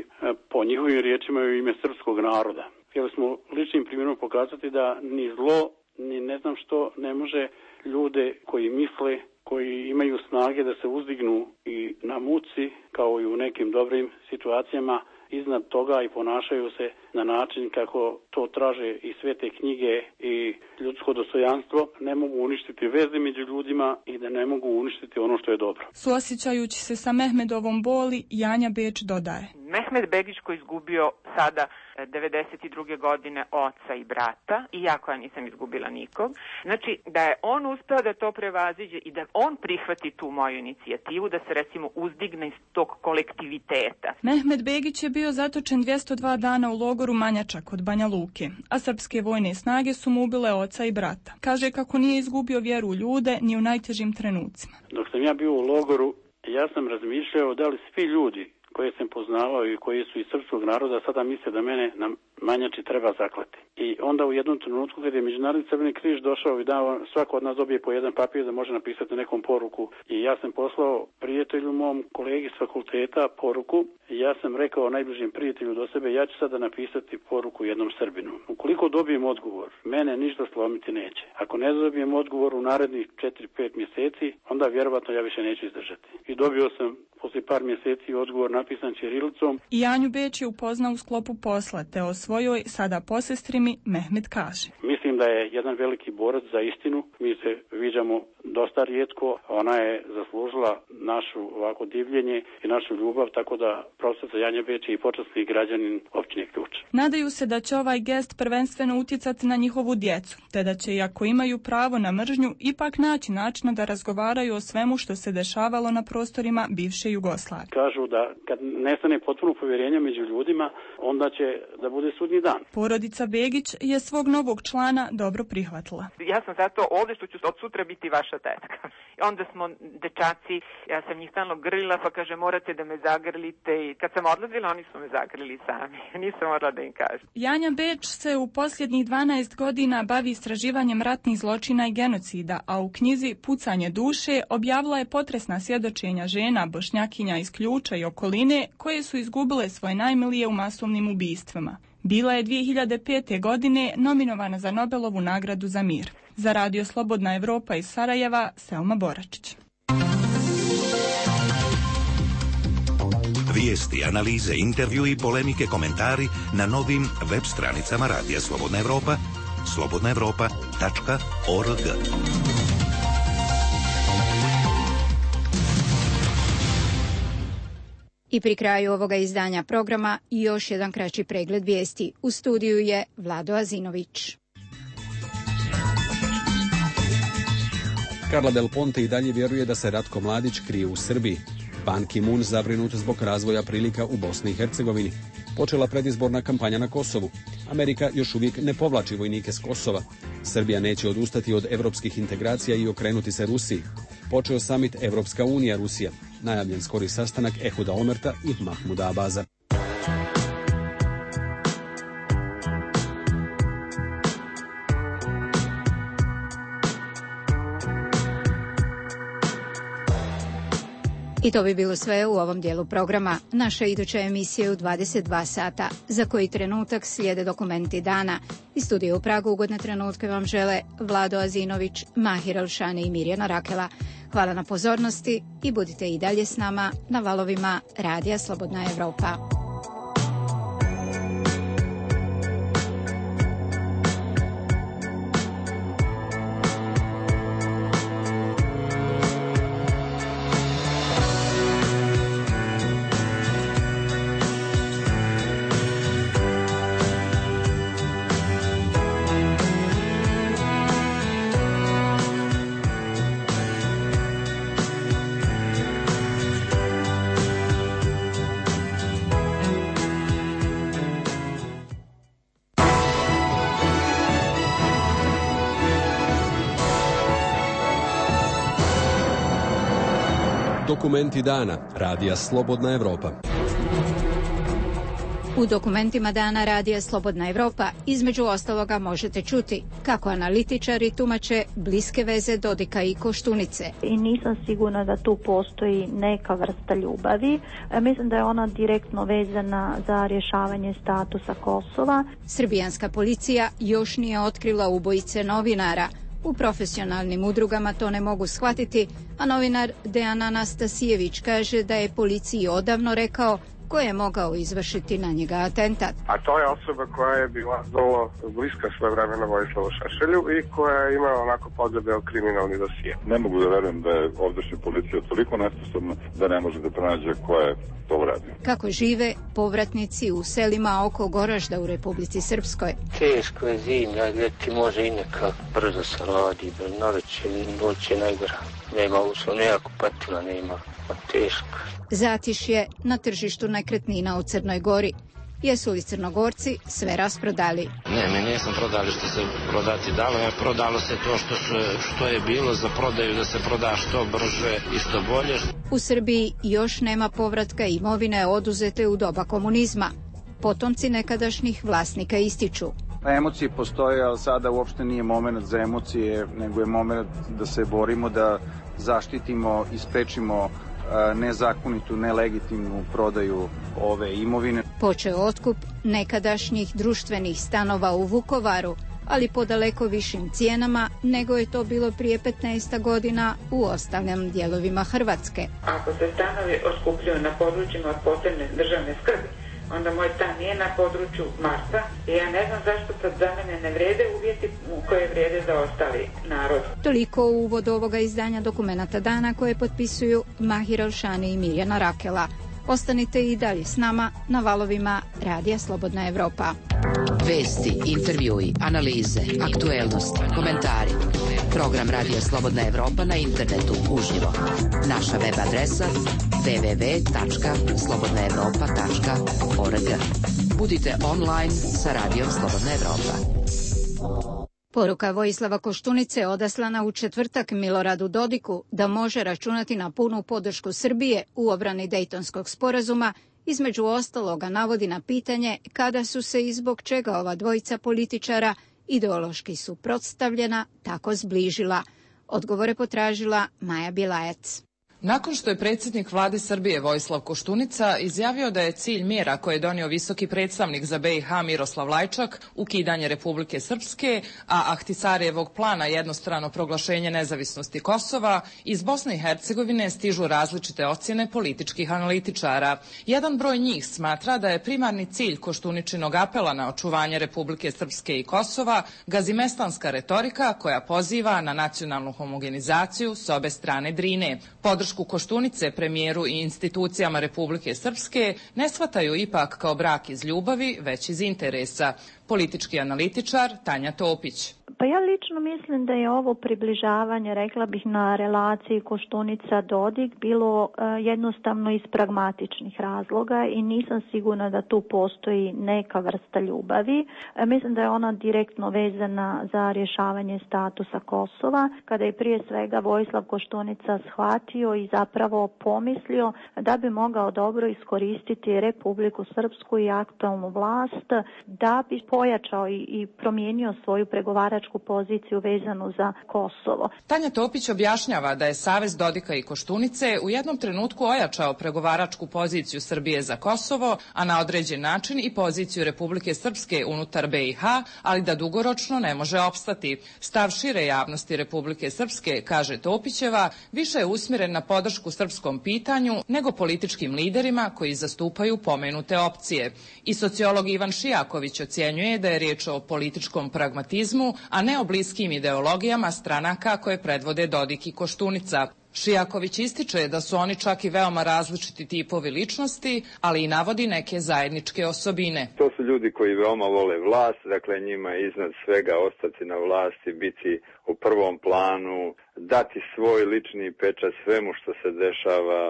po njihovim riječima u ime srpskog naroda. Htjeli smo ličnim primjerom pokazati da ni zlo, ni ne znam što ne može ljude koji misle, koji imaju snage da se uzdignu i na muci, kao i u nekim dobrim situacijama, iznad toga i ponašaju se na način kako to traže i svete knjige i ljudsko dostojanstvo, ne mogu uništiti veze među ljudima i da ne mogu uništiti ono što je dobro. Suosjećajući se sa Mehmedovom boli, Janja Beč dodaje. Mehmed Begić koji je izgubio sada 92. godine oca i brata, i ja koja nisam izgubila nikog. Znači da je on uspeo da to prevaziđe i da on prihvati tu moju inicijativu, da se recimo uzdigne iz tog kolektiviteta. Mehmed Begić je bio zatočen 202 dana u logoru Manjača kod Banja Luke, a srpske vojne snage su mu ubile oca i brata. Kaže kako nije izgubio vjeru u ljude ni u najtežim trenucima. Dok sam ja bio u logoru, ja sam razmišljao da li svi ljudi koje sam poznavao i koji su iz srpskog naroda sada misle da mene na Manjači treba zaklati. I onda u jednom trenutku kad je Međunarodni Crveni križ došao i dao, svako od nas dobije po jedan papir da može napisati nekom poruku. I ja sam poslao prijatelju mom kolegi s fakulteta poruku i ja sam rekao najbližem prijatelju do sebe, ja ću sada napisati poruku jednom Srbinu. Ukoliko dobijem odgovor, mene ništa slomiti neće. Ako ne dobijem odgovor u narednih 4-5 mjeseci, onda vjerovatno ja više neću izdržati. I dobio sam poslije par mjeseci odgovor napisan ćirilicom. I Janju Beč je upoznao u sklopu posla, te o svojoj sada posestrimi Mehmed kaže. Mislim da je jedan veliki borac za istinu. Mi se viđamo dosta rijetko. Ona je zaslužila našu ovako divljenje i našu ljubav, tako da profesor Janja Beč je i počasni građanin općine Ključ. Nadaju se da će ovaj gest prvenstveno utjecati na njihovu djecu, te da će, iako imaju pravo na mržnju, ipak naći načina da razgovaraju o svemu što se dešavalo na prostorima bivše Jugoslavije. Kažu da kad nestane potpuno povjerenje među ljudima, onda će da bude sudnji dan. Porodica Begić je svog novog člana dobro prihvatila. Ja sam zato ovdje što ću od sutra biti vaša tetka. Onda smo dečaci, ja sam njih stalno grlila, pa kaže morate da me zagrlite, i kad sam odlazila oni su me zagrlili sami. Nisam morala da im kažem. Janja Beč se u posljednjih 12 godina bavi istraživanjem ratnih zločina i genocida, a u knjizi Pucanje duše objavila je potresna svjedočenja žena Bošnjakinja iz Ključa i okoline koje su izgubile svoje najmilije u masovnim ubistvima. Bila je 2005. godine nominovana za Nobelovu nagradu za mir. Za Radio Slobodna Evropa iz Sarajeva, Selma Boračić. Vijesti, analize, intervju i polemike, komentari na novim web stranicama Radija Slobodna Evropa, slobodnaevropa.org. I pri kraju ovoga izdanja programa još jedan kraći pregled vijesti. U studiju je Vlado Azinović. Carla Del Ponte i dalje vjeruje da se Ratko Mladić krije u Srbiji. Ban Ki-moon zabrinut zbog razvoja prilika u Bosni i Hercegovini. Počela predizborna kampanja na Kosovu. Amerika još uvijek ne povlači vojnike s Kosova. Srbija neće odustati od evropskih integracija i okrenuti se Rusiji. Počeo samit Evropska unija Rusija. Najavljen skori sastanak Ehuda Omerta i Mahmuda Abaza. I to bi bilo sve u ovom dijelu programa. Naša iduća emisija je u 22 sata. Za koji trenutak slijede dokumenti dana. Iz studija u Pragu ugodne trenutke vam žele Vlado Azinović, Mahir Alšani i Mirjana Rakela. Hvala na pozornosti i budite i dalje s nama na valovima Radija Slobodna Evropa. Dokumenti dana Radija Slobodna Evropa. U dokumentima dana Radija Slobodna Evropa između ostaloga možete čuti kako analitičari tumače bliske veze Dodika i Koštunice. I nisam sigurna da tu postoji neka vrsta ljubavi. Mislim da je ona direktno vezana za rješavanje statusa Kosova. Srbijanska policija još nije otkrila ubojice novinara. U profesionalnim udrugama to ne mogu shvatiti, a novinar Dejan Anastasijević kaže da je policiji odavno rekao ko je mogao izvršiti na njega atentat. A to je osoba koja je bila vrlo bliska svojevremeno Vojislavu Šešelju i koja je imala onako podebeo kriminalni dosije. Ne mogu da verujem da je ovdašnja policija toliko nesposobna da ne može da pronađe ko je to uradio. Kako žive povratnici u selima oko Goražda u Republici Srpskoj? Teško je zimlja, ljeti može i neka brzo se radi, noć je najgora. Nema uslov, nema kupatila, nema, teško. Zatišje na tržištu nekretnina u Crnoj Gori. Jesu li Crnogorci sve rasprodali? Ne, mi nisam prodali što se prodati dalo, prodalo se to što je bilo za prodaju, da se proda što brže i što bolje. U Srbiji još nema povratka imovine oduzete u doba komunizma. Potomci nekadašnjih vlasnika ističu. Emocije postoje, ali sada uopšte nije moment za emocije, nego je moment da se borimo, da zaštitimo i sprečimo nezakonitu, nelegitimnu prodaju ove imovine. Počeo otkup nekadašnjih društvenih stanova u Vukovaru, ali po daleko višim cijenama nego je to bilo prije 15 godina u ostalim dijelovima Hrvatske. Ako se stanovi otkupljuju na područjima od posebne državne skrbi, onda moj stan nije na području Marsa i ja ne znam zašto sad za mene ne vrede uvjeti koje vrede za ostali narod. Toliko u uvod ovoga izdanja dokumenata dana koje potpisuju Mahir Elšani i Mirjana Rakela. Ostanite i dalje s nama na valovima Radija Slobodna Evropa. Vesti, intervjui, analize, aktuelnosti, komentari. Program Radija Slobodna Evropa na internetu uživo. Naša web adresa www.slobodnaevropa.org. Budite online sa Radijom Slobodna Evropa. Poruka Vojislava Koštunice odaslana u četvrtak Miloradu Dodiku da može računati na punu podršku Srbije u obrani Dejtonskog sporazuma, između ostaloga navodi na pitanje kada su se i zbog čega ova dvojica političara ideološki suprotstavljena tako zbližila. Odgovore potražila Maja Bilajac. Nakon što je predsjednik vlade Srbije Vojislav Koštunica izjavio da je cilj mjera koje je donio visoki predstavnik za BiH Miroslav Lajčak ukidanje Republike Srpske, a Ahtisarijevog plana jednostrano proglašenje nezavisnosti Kosova, iz Bosne i Hercegovine stižu različite ocjene političkih analitičara. Jedan broj njih smatra da je primarni cilj Koštuničinog apela na očuvanje Republike Srpske i Kosova gazimestanska retorika koja poziva na nacionalnu homogenizaciju s obe strane Drine. Podršku Koštunice, premijeru i institucijama Republike Srpske ne shvataju ipak kao brak iz ljubavi, već iz interesa. Politički analitičar Tanja Topić. Pa ja lično mislim da je ovo približavanje, rekla bih, na relaciji Koštunica-Dodik bilo jednostavno iz pragmatičnih razloga i nisam sigurna da tu postoji neka vrsta ljubavi. Mislim da je ona direktno vezana za rješavanje statusa Kosova, kada je prije svega Vojislav Koštunica shvatio i zapravo pomislio da bi mogao dobro iskoristiti Republiku Srpsku i aktualnu vlast da bi pojačao i promijenio svoju pregovaračku pregovaračku poziciju vezanu za Kosovo. Tanja Topić objašnjava da je Savez Dodika i Koštunice u jednom trenutku ojačao pregovaračku poziciju Srbije za Kosovo, a na određen način i poziciju Republike Srpske unutar BiH, ali da dugoročno ne može opstati. Stav šire javnosti Republike Srpske, kaže Topićeva, više je usmjeren na podršku srpskom pitanju nego političkim liderima koji zastupaju pomenute opcije. I sociolog Ivan Šijaković ocjenjuje da je riječ o političkom pragmatizmu, a ne o bliskim ideologijama stranaka koje predvode Dodik i Koštunica. Šijaković ističe da su oni čak i veoma različiti tipovi ličnosti, ali i navodi neke zajedničke osobine. To su ljudi koji veoma vole vlast, dakle njima je iznad svega ostati na vlasti, biti u prvom planu, dati svoj lični pečat svemu što se dešava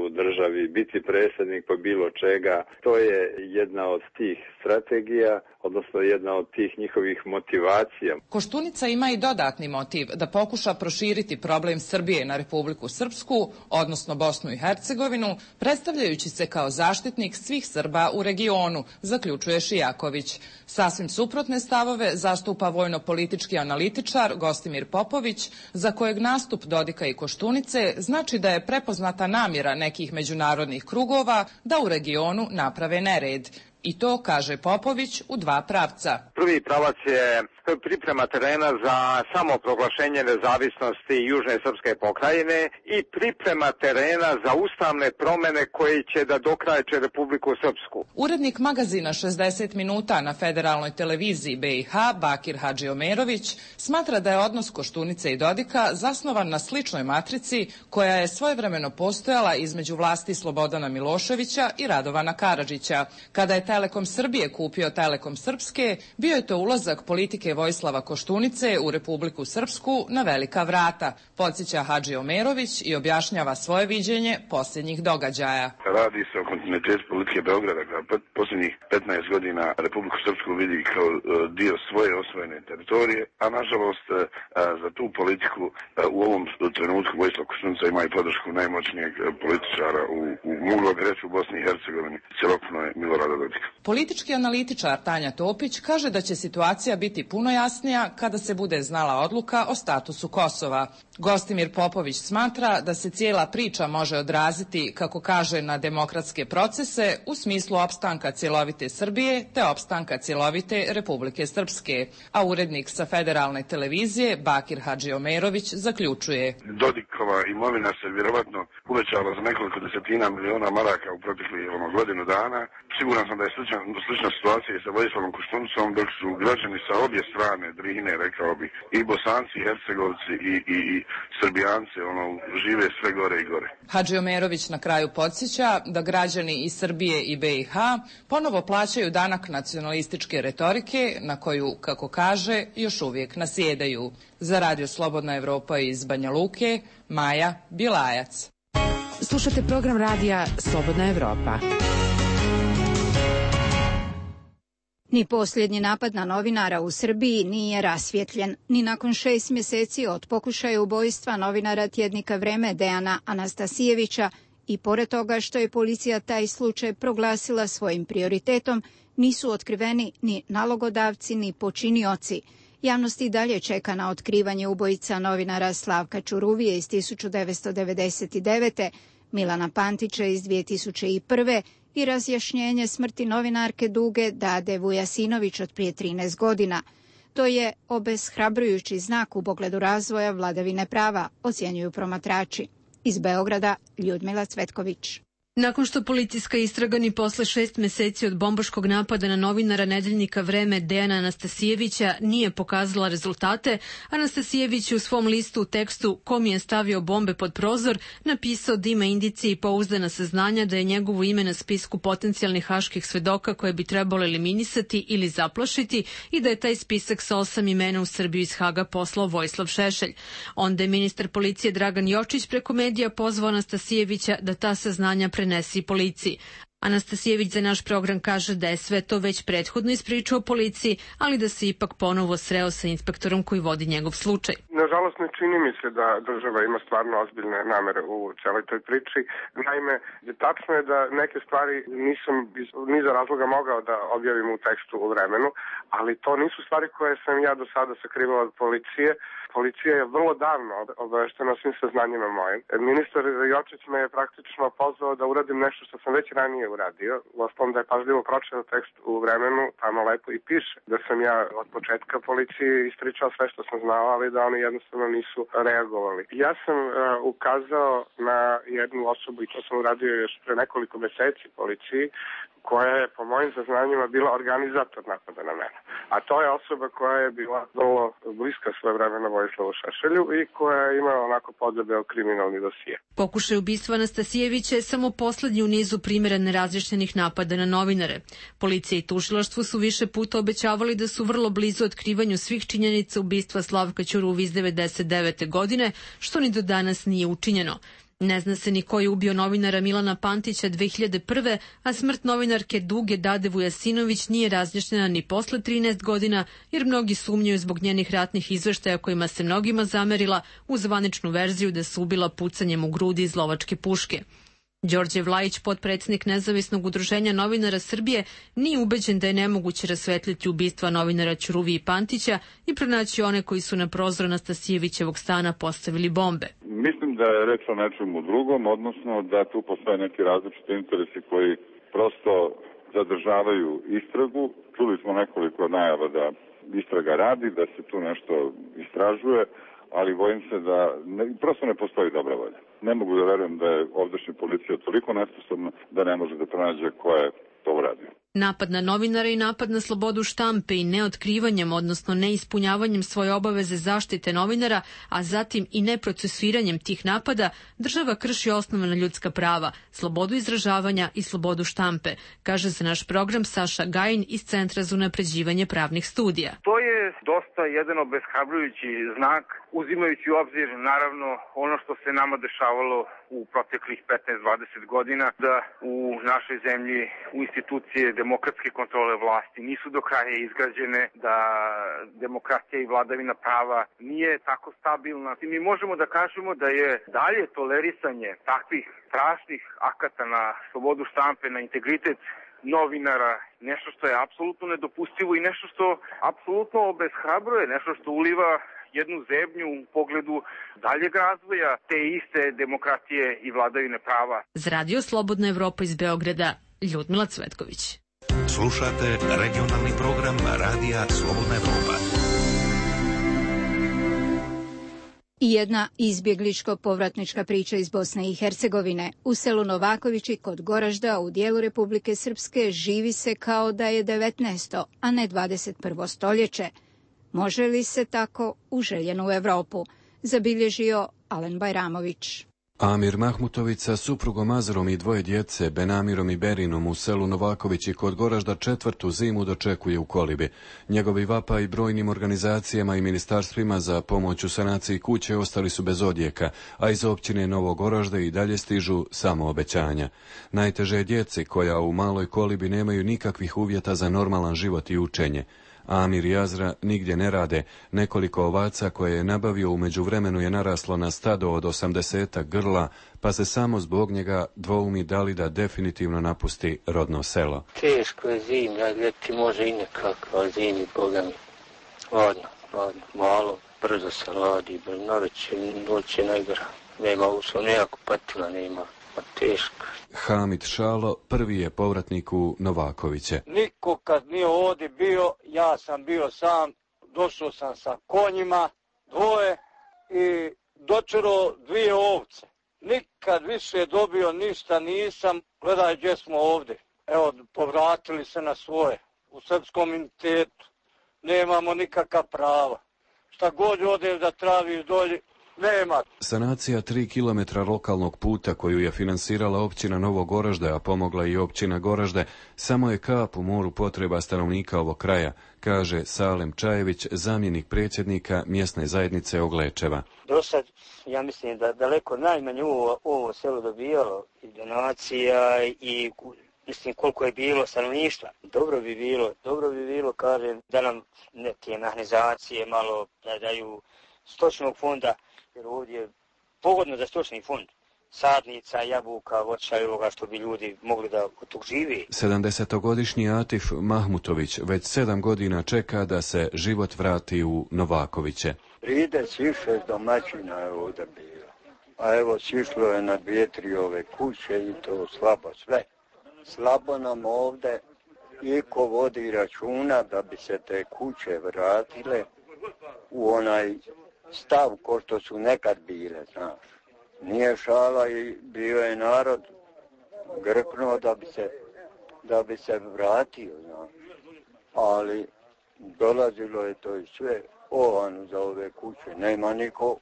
u državi, biti predsjednik po bilo čega. To je jedna od tih strategija, odnosno jedna od tih njihovih motivacija. Koštunica ima i dodatni motiv da pokuša proširiti problem Srbije na Republiku Srpsku, odnosno Bosnu i Hercegovinu, predstavljajući se kao zaštitnik svih Srba u regionu, zaključuje Šijaković. Sasvim suprotne stavove zastupa vojno-politički analitičar Gostimir Popović, za kojeg nastup Dodika i Koštunice znači da je prepoznata namjera nekih međunarodnih krugova da u regionu naprave nered. I to, kaže Popović, u dva pravca. Prvi pravac je priprema terena za samoproglašenje nezavisnosti Južne srpske pokrajine i priprema terena za ustavne promjene koje će da dokrajče Republiku Srpsku. Urednik magazina 60 minuta na federalnoj televiziji BiH, Bakir Hadžiomerović, smatra da je odnos Koštunice i Dodika zasnovan na sličnoj matrici koja je svojevremeno postojala između vlasti Slobodana Miloševića i Radovana Karadžića. Kada je Telekom Srbije kupio Telekom Srpske, bio je to ulazak politike Vojislava Koštunice u Republiku Srpsku na velika vrata, podsjeća Hadžiomerović i objašnjava svoje viđenje posljednjih događaja. Radi se o kontinuitetu politike Beograda, koja posljednjih 15 godina Republiku Srpsku vidi kao dio svoje osvojene teritorije, a nažalost za tu politiku u ovom trenutku Vojislav Koštunica ima i podršku najmoćnijeg političara moglo bi reći u Bosni i Hercegovini, cjelokupno je Milorada Dodika. Politički analitičar Tanja Topić kaže da će situacija biti puno jasnija kada se bude znala odluka o statusu Kosova. Gostimir Popović smatra da se cijela priča može odraziti, kako kaže, na demokratske procese u smislu opstanka cjelovite Srbije te opstanka cjelovite Republike Srpske. A urednik sa federalne televizije Bakir Hadžiomerović zaključuje. Dodikova imovina se vjerovatno uvećala za nekoliko desetina miliona maraka u proteklih godinu dana. Siguran sam da je slična situacija i sa Vojislavom Koštunicom, dok su građani sa obje strane Drine, rekao bih, i Bosanci, i Hercegovci i Srbijanci, žive sve gore i gore. Hadžiomerović na kraju podsjeća da građani iz Srbije i BiH ponovo plaćaju danak nacionalističke retorike na koju, kako kaže, još uvijek nasjedaju. Za Radio Slobodna Evropa iz Banja Luke, Maja Bilajac. Slušate program radija Slobodna Evropa. Ni posljednji napad na novinara u Srbiji nije rasvjetljen, ni nakon 6 mjeseci od pokušaja ubojstva novinara tjednika Vreme Dejana Anastasijevića i pored toga što je policija taj slučaj proglasila svojim prioritetom, nisu otkriveni ni nalogodavci ni počinioci. Javnost i dalje čeka na otkrivanje ubojica novinara Slavka Čuruvije iz 1999., Milana Pantića iz 2001. i razjašnjenje smrti novinarke Duge Dade Vujasinović od prije 13 godina. To je obeshrabrujući znak u pogledu razvoja vladavine prava, ocjenjuju promatrači. Iz Beograda, Ljudmila Cvetković. Nakon što policijska istraga ni posle 6 mjeseci od bombaškog napada na novinara nedeljnika Vreme Dejana Anastasijevića nije pokazala rezultate, Anastasijević u svom listu u tekstu "Kom je stavio bombe pod prozor" napisao da ima indicije i pouzdana saznanja da je njegovo ime na spisku potencijalnih haških svedoka koje bi trebalo eliminisati ili zaplašiti i da je taj spisak sa 8 imena u Srbiju iz Haga poslao Vojislav Šešelj. Onda je ministar policije Dragan Jočić preko medija pozvao Anastasijevića da ta saznanja prenesi policiji. Anastasijević za naš program kaže da je sve to već prethodno ispričao policiji, ali da se ipak ponovo sreo sa inspektorom koji vodi njegov slučaj. Nažalost, ne čini mi se da država ima stvarno ozbiljne namere u celoj toj priči. Naime, tačno je da neke stvari nisam iz niza razloga mogao da objavim u tekstu u Vremenu, ali to nisu stvari koje sam ja do sada sakrivao od policije. Policija je vrlo davno obaveštena o svim saznanjima mojim. Ministar Jočić me je praktično pozvao da uradim nešto što sam već ranije uradio. Uostalom da je pažljivo pročitao tekst u Vremenu, tamo lepo i piše da sam ja od početka policiji ispričao sve što sam znao, ali da oni jednostavno nisu reagovali. Ja sam ukazao na jednu osobu, i to sam uradio još pre nekoliko meseci policiji, koja je po mojim saznanjima bila organizator napada na mene. A to je osoba koja je bila vrlo bliska svojevremeno Vojislavu Šešelju i koja je imala onako podebeo kriminalni dosije. Pokušaj ubistva Anastasijevića je samo poslednji u nizu primjera nerazjašnjenih napada na novinare. Policija i tužilaštvo su više puta obećavali da su vrlo blizu otkrivanju svih činjenica ubistva Slavka Ćuruvije iz 1999. godine, što ni do danas nije učinjeno. Ne zna se ni ko je ubio novinara Milana Pantića 2001. a smrt novinarke Duge Dade Vujasinović nije razjašnjena ni posle 13 godina, jer mnogi sumnjaju zbog njenih ratnih izveštaja kojima se mnogima zamerila u zvaničnu verziju da se ubila pucanjem u grudi iz lovačke puške. Đorđe Vlajić, potpredsednik Nezavisnog udruženja novinara Srbije, nije ubeđen da je nemoguće rasvetliti ubistva novinara Ćuruvije i Pantića i pronaći one koji su na prozor Anastasijevićevog stana postavili bombe. Mislim da je reč o nečemu drugom, odnosno da tu postoje neki različiti interesi koji prosto zadržavaju istragu. Čuli smo nekoliko najava da istraga radi, da se tu nešto istražuje, ali bojim se da prosto ne postoji dobra volja. Ne mogu da verujem da je ovdašnja policija toliko nesposobna da ne može da pronađe ko je to uradio. Napad na novinara i napad na slobodu štampe i neotkrivanjem, odnosno neispunjavanjem svoje obaveze zaštite novinara, a zatim i neprocesuiranjem tih napada, država krši osnovna ljudska prava, slobodu izražavanja i slobodu štampe, kaže za naš program Saša Gajin iz Centra za unapređivanje pravnih studija. To je dosta jedan obeshrabrujući znak, uzimajući u obzir naravno ono što se nama dešavalo u proteklih 15-20 godina, da u našoj zemlji u institucije demokratske kontrole vlasti nisu do kraja izgrađene, da demokratija i vladavina prava nije tako stabilna. I mi možemo da kažemo da je dalje tolerisanje takvih strašnih akata na slobodu štampe, na integritet novinara, nešto što je apsolutno nedopustivo i nešto što apsolutno obeshrabruje, nešto što uliva jednu zebnju u pogledu daljeg razvoja te iste demokratije i vladavine prava. Za Radio Slobodna Evropa iz Beograda, Ljudmila Cvetković. Slušate regionalni program Radija Slobodna Evropa. I jedna izbjegličko-povratnička priča iz Bosne i Hercegovine. U selu Novakovići kod Goražda u dijelu Republike Srpske živi se kao da je 19. a ne 21. stoljeće. Može li se tako u željenu Evropu? Zabilježio Alen Bajramović. Amir Mahmutović sa suprugom Azerom i dvoje djece, Benamirom i Berinom, u selu Novakovići kod Goražda 4. zimu dočekuje u kolibi. Njegovi vapaj brojnim organizacijama i ministarstvima za pomoć u sanaciji kuće ostali su bez odjeka, a iz općine Novog Goražda i dalje stižu samo obećanja. Najteže je djeci koja u maloj kolibi nemaju nikakvih uvjeta za normalan život i učenje. Amir i Azra nigdje ne rade, nekoliko ovaca koje je nabavio u međuvremenu je naraslo na stado od 80 grla, pa se samo zbog njega dvoumi da li da definitivno napusti rodno selo. Teško je zimlja, ljeti može i nekako, ali zimi, boga mi, ladno, malo, brzo se radi, noć je najgora, nema uslov, nekako patila nema. Teško. Hamid Šalo prvi je povratnik u Novakoviće. Niko kad nije ovdje bio, ja sam bio sam, došao sam sa konjima, dvoje i dočero 2 ovce. Nikad više dobio ništa nisam, gledaj gdje smo ovdje. Evo, povratili se na svoje, u srpskom entitetu, nemamo nikakva prava. Šta god odem da traviš dolje, nema. Sanacija 3 km lokalnog puta koju je finansirala općina Novo Goražde, a pomogla i općina Goražde, samo je kap u moru potreba stanovnika ovog kraja, kaže Salem Čajević, zamjenik predsjednika mjesne zajednice Oglečeva. Do sad, ja mislim da daleko najmanje ovo selo dobijalo i donacija i mislim koliko je bilo stanovništva. Dobro bi bilo, kažem, da nam neke mehanizacije malo da daju stočnog fonda, jer ovdje je pogodno za stočni fond. Sadnica, jabuka, voća i ovoga što bi ljudi mogli da od tog živi. 70-godišnji Atif Mahmutović već 7 godina čeka da se život vrati u Novakoviće. 36 domaćina je ovdje bilo, a evo sišlo je na 2-3 ove kuće i to slabo sve. Slabo nam ovdje iko vodi računa da bi se te kuće vratile u onaj stav ko što su nekad bile, znaš. Nije šala i bio je narod grknuo da bi se vratio, znaš. Ali dolazilo je to i sve ovanu za ove kuće. Nema niko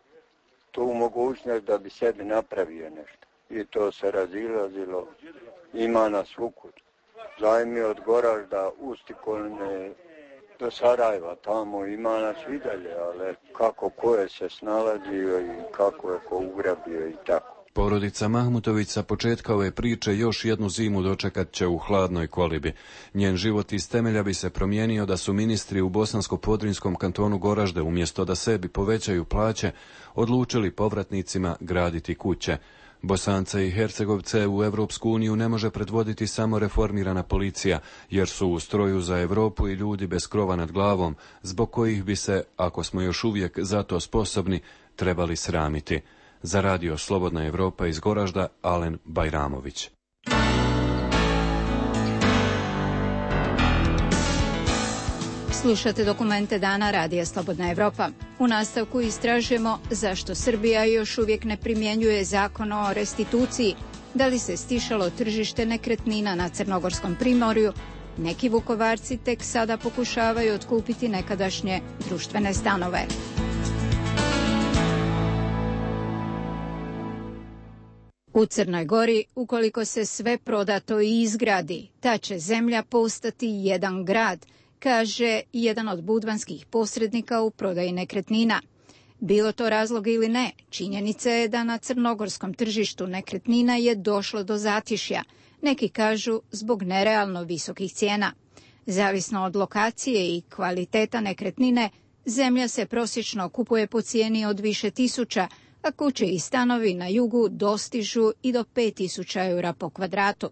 tu mogućnost da bi sebi napravio nešto. I to se razilazilo, ima nas svukud. Zajmi od Goražda, Ustikolne, do Sarajeva, tamo ima nas i dalje, ali kako ko je se snalazio i kako je ko ugrabio i tako. Porodica Mahmutović sa početka ove priče još jednu zimu dočekat će u hladnoj kolibi. Njen život iz temelja bi se promijenio da su ministri u Bosansko-Podrinjskom kantonu Goražde, umjesto da sebi povećaju plaće, odlučili povratnicima graditi kuće. Bosance i Hercegovce u Evropsku uniju ne može predvoditi samo reformirana policija, jer su u stroju za Europu i ljudi bez krova nad glavom, zbog kojih bi se, ako smo još uvijek za to sposobni, trebali sramiti. Za radio Slobodna Evropa iz Goražda, Alen Bajramović. Slušate dokumente dana Radija Slobodna Evropa. U nastavku istražujemo zašto Srbija još uvijek ne primjenjuje zakon o restituciji, da li se stišalo tržište nekretnina na Crnogorskom primorju, neki Vukovarci tek sada pokušavaju otkupiti nekadašnje društvene stanove. U Crnoj Gori, ukoliko se sve prodato i izgradi, ta će zemlja postati jedan grad, kaže jedan od budvanskih posrednika u prodaji nekretnina. Bilo to razlog ili ne, činjenica je da na crnogorskom tržištu nekretnina je došlo do zatišja. Neki kažu zbog nerealno visokih cijena. Zavisno od lokacije i kvaliteta nekretnine, zemlja se prosječno kupuje po cijeni od više tisuća, a kuće i stanovi na jugu dostižu i do 5.000 eura po kvadratu.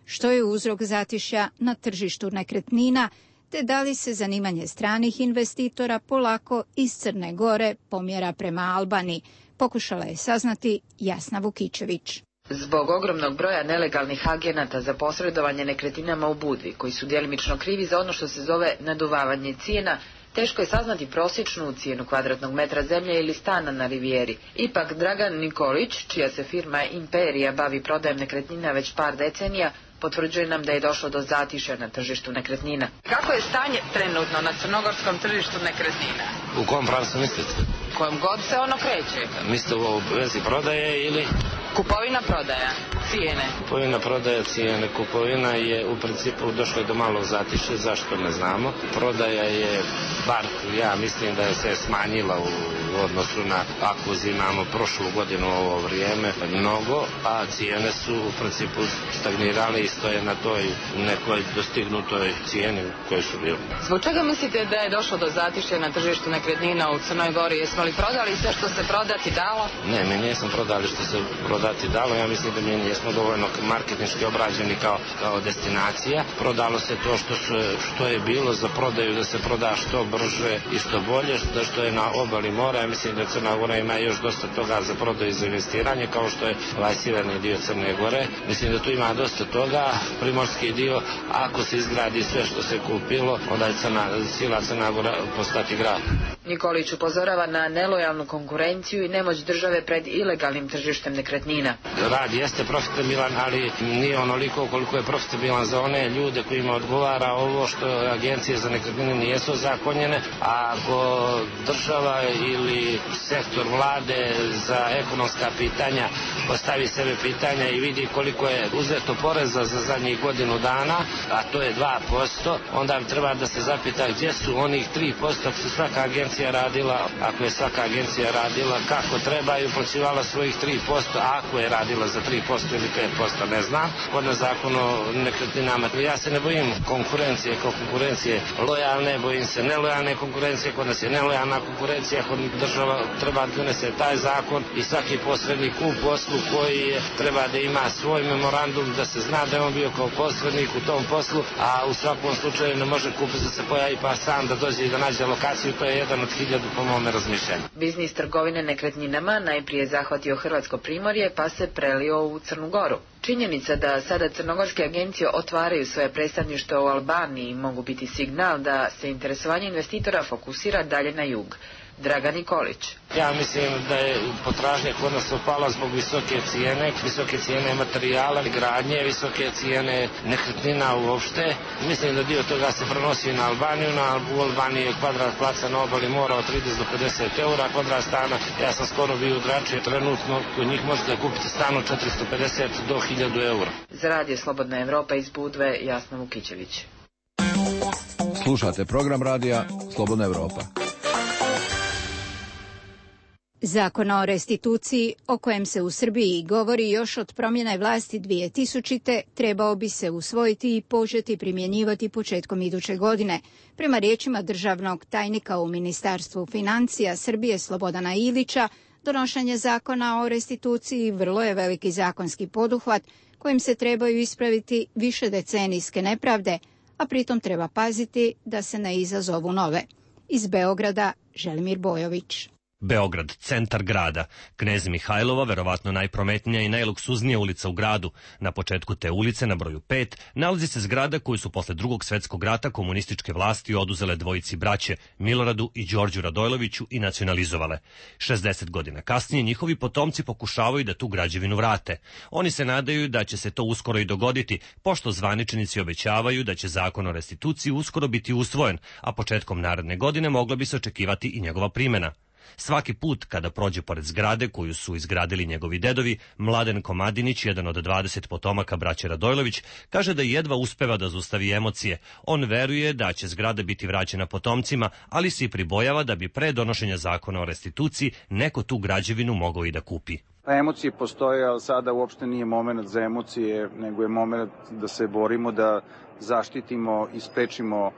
Što je uzrok zatišja na tržištu nekretnina, te da li se zanimanje stranih investitora polako iz Crne Gore pomjera prema Albaniji, pokušala je saznati Jasna Vukičević. Zbog ogromnog broja nelegalnih agenata za posredovanje nekretninama u Budvi, koji su djelimično krivi za ono što se zove naduvavanje cijena, teško je saznati prosječnu cijenu kvadratnog metra zemlje ili stana na rivijeri. Ipak Dragan Nikolić, čija se firma Imperija bavi prodajem nekretnina već par decenija, potvrđuje nam da je došlo do zatišja na tržištu nekretnina. Kako je stanje trenutno na crnogorskom tržištu nekretnina? U kom pravcu mislite? Kojom god se ono kreće. Mislite u vezi prodaje ili? Kupovina prodaja, cijene. Kupovina prodaja, cijene. Kupovina je u principu došlo do malog zatišća, zašto ne znamo. Prodaja je, bar ja mislim da je se smanjila u odnosu na ako uzimamo prošlu godinu ovo vrijeme mnogo, a cijene su u principu stagnirale i stoje na toj nekoj dostignutoj cijeni koji su bili. Zbog čega mislite da je došlo do zatišća na tržištu nekretnina u Crnoj Gori? Jesmo li prodali sve što se prodati dalo? Ne, mi nismo prodali što se prodati dalo. Ja mislim da mi nismo dovoljno marketinški obrađeni kao destinacija. Prodalo se to što je bilo za prodaju, da se proda što brže i što bolje, što je na obali mora. Ja mislim da Crna Gora ima još dosta toga za prodaju i za investiranje, kao što je ovaj sjeverni dio Crne Gore. Mislim da tu ima dosta toga. Primorski dio, ako se izgradi sve što se kupilo, onda je cijela Crna Gora postati grad. Nikolić upozorava na nelojalnu konkurenciju i nemoć države pred ilegalnim tržištem nekretnina. Rad jeste profitabilan, ali nije onoliko koliko je profitabilan za one ljude kojima odgovara ovo što agencije za nekretnine nijesu ozakonjene. A ako država ili sektor vlade za ekonomska pitanja postavi sebe pitanja i vidi koliko je uzeto poreza za zadnjih godinu dana, a to je 2%, onda treba da se zapita gdje su onih 3% ako su svaka agencija radila, ako je svaka agencija radila kako treba i uplaćivala svojih 3%, a ako je radila za 3% ili 5%, ne znam. Kod nas zakon o nekretninama, ja se ne bojim konkurencije kao konkurencije lojalne, bojim se nelojalne konkurencije, kod nas je nelojalna konkurencija, kod država treba da donese taj zakon i svaki posrednik u poslu koji treba da ima svoj memorandum, da se zna da je on bio kao posrednik u tom poslu, a u svakom slučaju ne može kupac da se pojavi pa sam da dođe i da nađe lokaciju, to je jedan od 1000 po mome razmišljanju. Biznis trgovine nekretninama najprije zahvatio Hrvatsko primorje pa se prelio u Crnu Goru. Činjenica da sada crnogorske agencije otvaraju svoje predstavništvo u Albaniji mogu biti signal da se interesovanje investitora fokusira dalje na jug. Dragan Nikolić. Ja mislim da je potražnja kod nas opala zbog visoke cijene materijala, gradnje, visoke cijene nekretnina uopšte. Mislim da dio toga se prenosi na Albaniju. U Albaniji je kvadrat placa na obali mora od 30 do 50 eura, kvadrat stana. Ja sam skoro bio u Drači, trenutno kod njih možete kupiti stan od 450 do 1000 eura. Za Radio Slobodna Evropa iz Budve, Jasna Vukićević. Slušate program radija Slobodna Evropa. Zakon o restituciji, o kojem se u Srbiji govori još od promjene vlasti 2000. trebao bi se usvojiti i početi primjenjivati početkom iduće godine. Prema riječima državnog tajnika u Ministarstvu financija Srbije Slobodana Ilića, donošenje zakona o restituciji vrlo je veliki zakonski poduhvat kojim se trebaju ispraviti višedecenijske nepravde, a pritom treba paziti da se ne izazovu nove. Iz Beograda, Želimir Bojović. Beograd, centar grada. Knez Mihajlova, verovatno najprometnija i najluksuznija ulica u gradu. Na početku te ulice, na broju 5, nalazi se zgrada koju su posle Drugog svjetskog rata komunističke vlasti oduzele dvojici braće, Miloradu i Đorđu Radojloviću, i nacionalizovale. 60 godina kasnije njihovi potomci pokušavaju da tu građevinu vrate. Oni se nadaju da će se to uskoro i dogoditi, pošto zvaničnici obećavaju da će zakon o restituciji uskoro biti usvojen, a početkom naredne godine mogla bi se očekivati i njegova primjena. Svaki put kada prođe pored zgrade koju su izgradili njegovi dedovi, Mladen Komadinić, jedan od 20 potomaka braće Radojlović, kaže da jedva uspeva da zaustavi emocije. On veruje da će zgrada biti vraćena potomcima, ali se i pribojava da bi pre donošenja zakona o restituciji neko tu građevinu mogao i da kupi. Emocije postoje, ali sada uopšte nije moment za emocije, nego je moment da se borimo da zaštitimo i sprečimo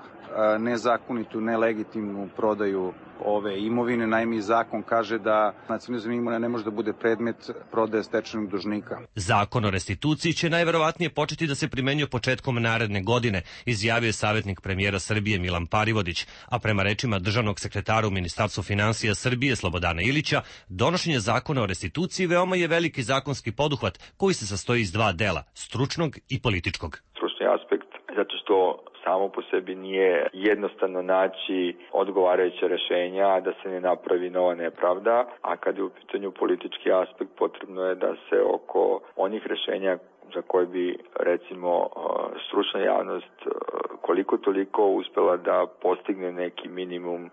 nezakonitu, nelegitimnu prodaju ove imovine. Naime, zakon kaže da nacionalizam imovine ne može da bude predmet prodaje stečajnog dužnika. Zakon o restituciji će najverovatnije početi da se primenjuje početkom naredne godine, izjavio je savjetnik premijera Srbije Milan Parivodić, a prema rečima državnog sekretara u Ministarstvu finansija Srbije Slobodana Ilića, donošenje zakona o restituciji veoma je veliki zakonski poduhvat koji se sastoji iz dva dela, stručnog i političkog. Stručni aspekt, zato što samo po sebi nije jednostavno naći odgovarajuće rješenja da se ne napravi nova nepravda, a kad je u pitanju politički aspekt potrebno je da se oko onih rješenja za koje bi recimo stručna javnost koliko toliko uspjela da postigne neki minimum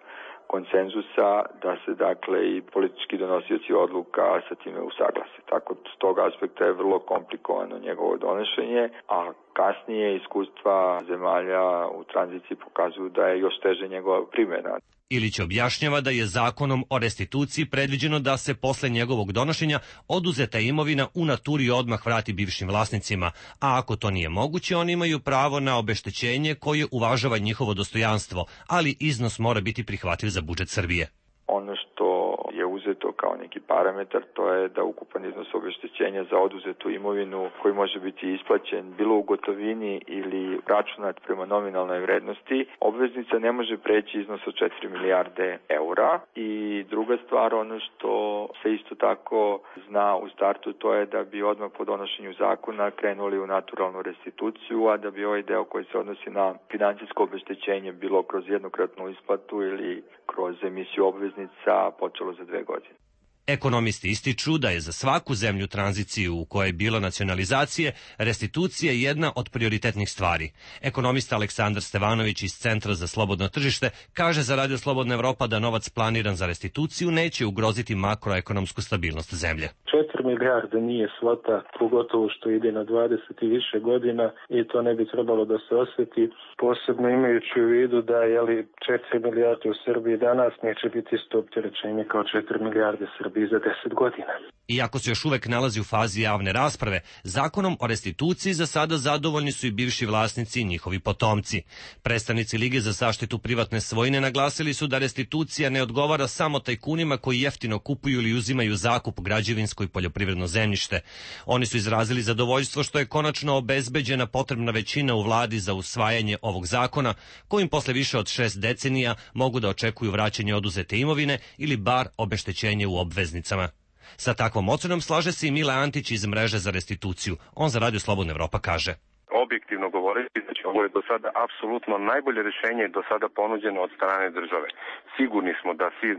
konsenzusa, da se dakle i politički donosioci odluka sa time usaglase. Tako s tog aspekta je vrlo komplikovano njegovo donošenje, a kasnije iskustva zemalja u tranziciji pokazuju da je još teže njegova primjena. Ilić objašnjava da je zakonom o restituciji predviđeno da se posle njegovog donošenja oduzeta imovina u naturi odmah vrati bivšim vlasnicima, a ako to nije moguće, oni imaju pravo na obeštećenje koje uvažava njihovo dostojanstvo, ali iznos mora biti prihvatljiv za budžet Srbije. Ono što je uzeto kao neki parametar, to je da ukupan iznos obeštećenja za oduzetu imovinu koji može biti isplaćen bilo u gotovini ili računat prema nominalnoj vrednosti, obveznica ne može preći iznos od 4 milijarde eura. I druga stvar, ono što se isto tako zna u startu, to je da bi odmah po donošenju zakona krenuli u naturalnu restituciju, a da bi ovaj deo koji se odnosi na financijsko obeštećenje bilo kroz jednokratnu isplatu ili kroz emisiju obveznica počelo za 2 godine. Ekonomisti ističu da je za svaku zemlju tranziciju u kojoj je bilo nacionalizacije, restitucija jedna od prioritetnih stvari. Ekonomista Aleksandar Stevanović iz Centra za slobodno tržište kaže za Radio Slobodna Evropa da novac planiran za restituciju neće ugroziti makroekonomsku stabilnost zemlje. 4 milijarde nije svota, pogotovo što ide na 20 i više godina i to ne bi trebalo da se osjeti, posebno imajući u vidu da 4 milijarde u Srbiji danas neće biti isto opterećenje kao 4 milijarde Srbije bi i za 10 godina. Iako se još uvek nalazi u fazi javne rasprave, zakonom o restituciji za sada zadovoljni su i bivši vlasnici i njihovi potomci. Predstavnici Lige za zaštitu privatne svojine naglasili su da restitucija ne odgovara samo tajkunima koji jeftino kupuju ili uzimaju zakup građevinsko i poljoprivredno zemljište. Oni su izrazili zadovoljstvo što je konačno obezbeđena potrebna većina u vladi za usvajanje ovog zakona, kojim posle više od 6 decenija mogu da očekuju vraćanje oduzete imovine ili bar obeštećenje u obveznicama. Sa takvom ocenom slaže se i Mile Antić iz Mreže za restituciju. On za Radio Slobodna Evropa kaže: objektivno govoreći, znači ovo je do sada apsolutno najbolje rješenje do sada ponuđeno od strane države. Sigurni smo da svi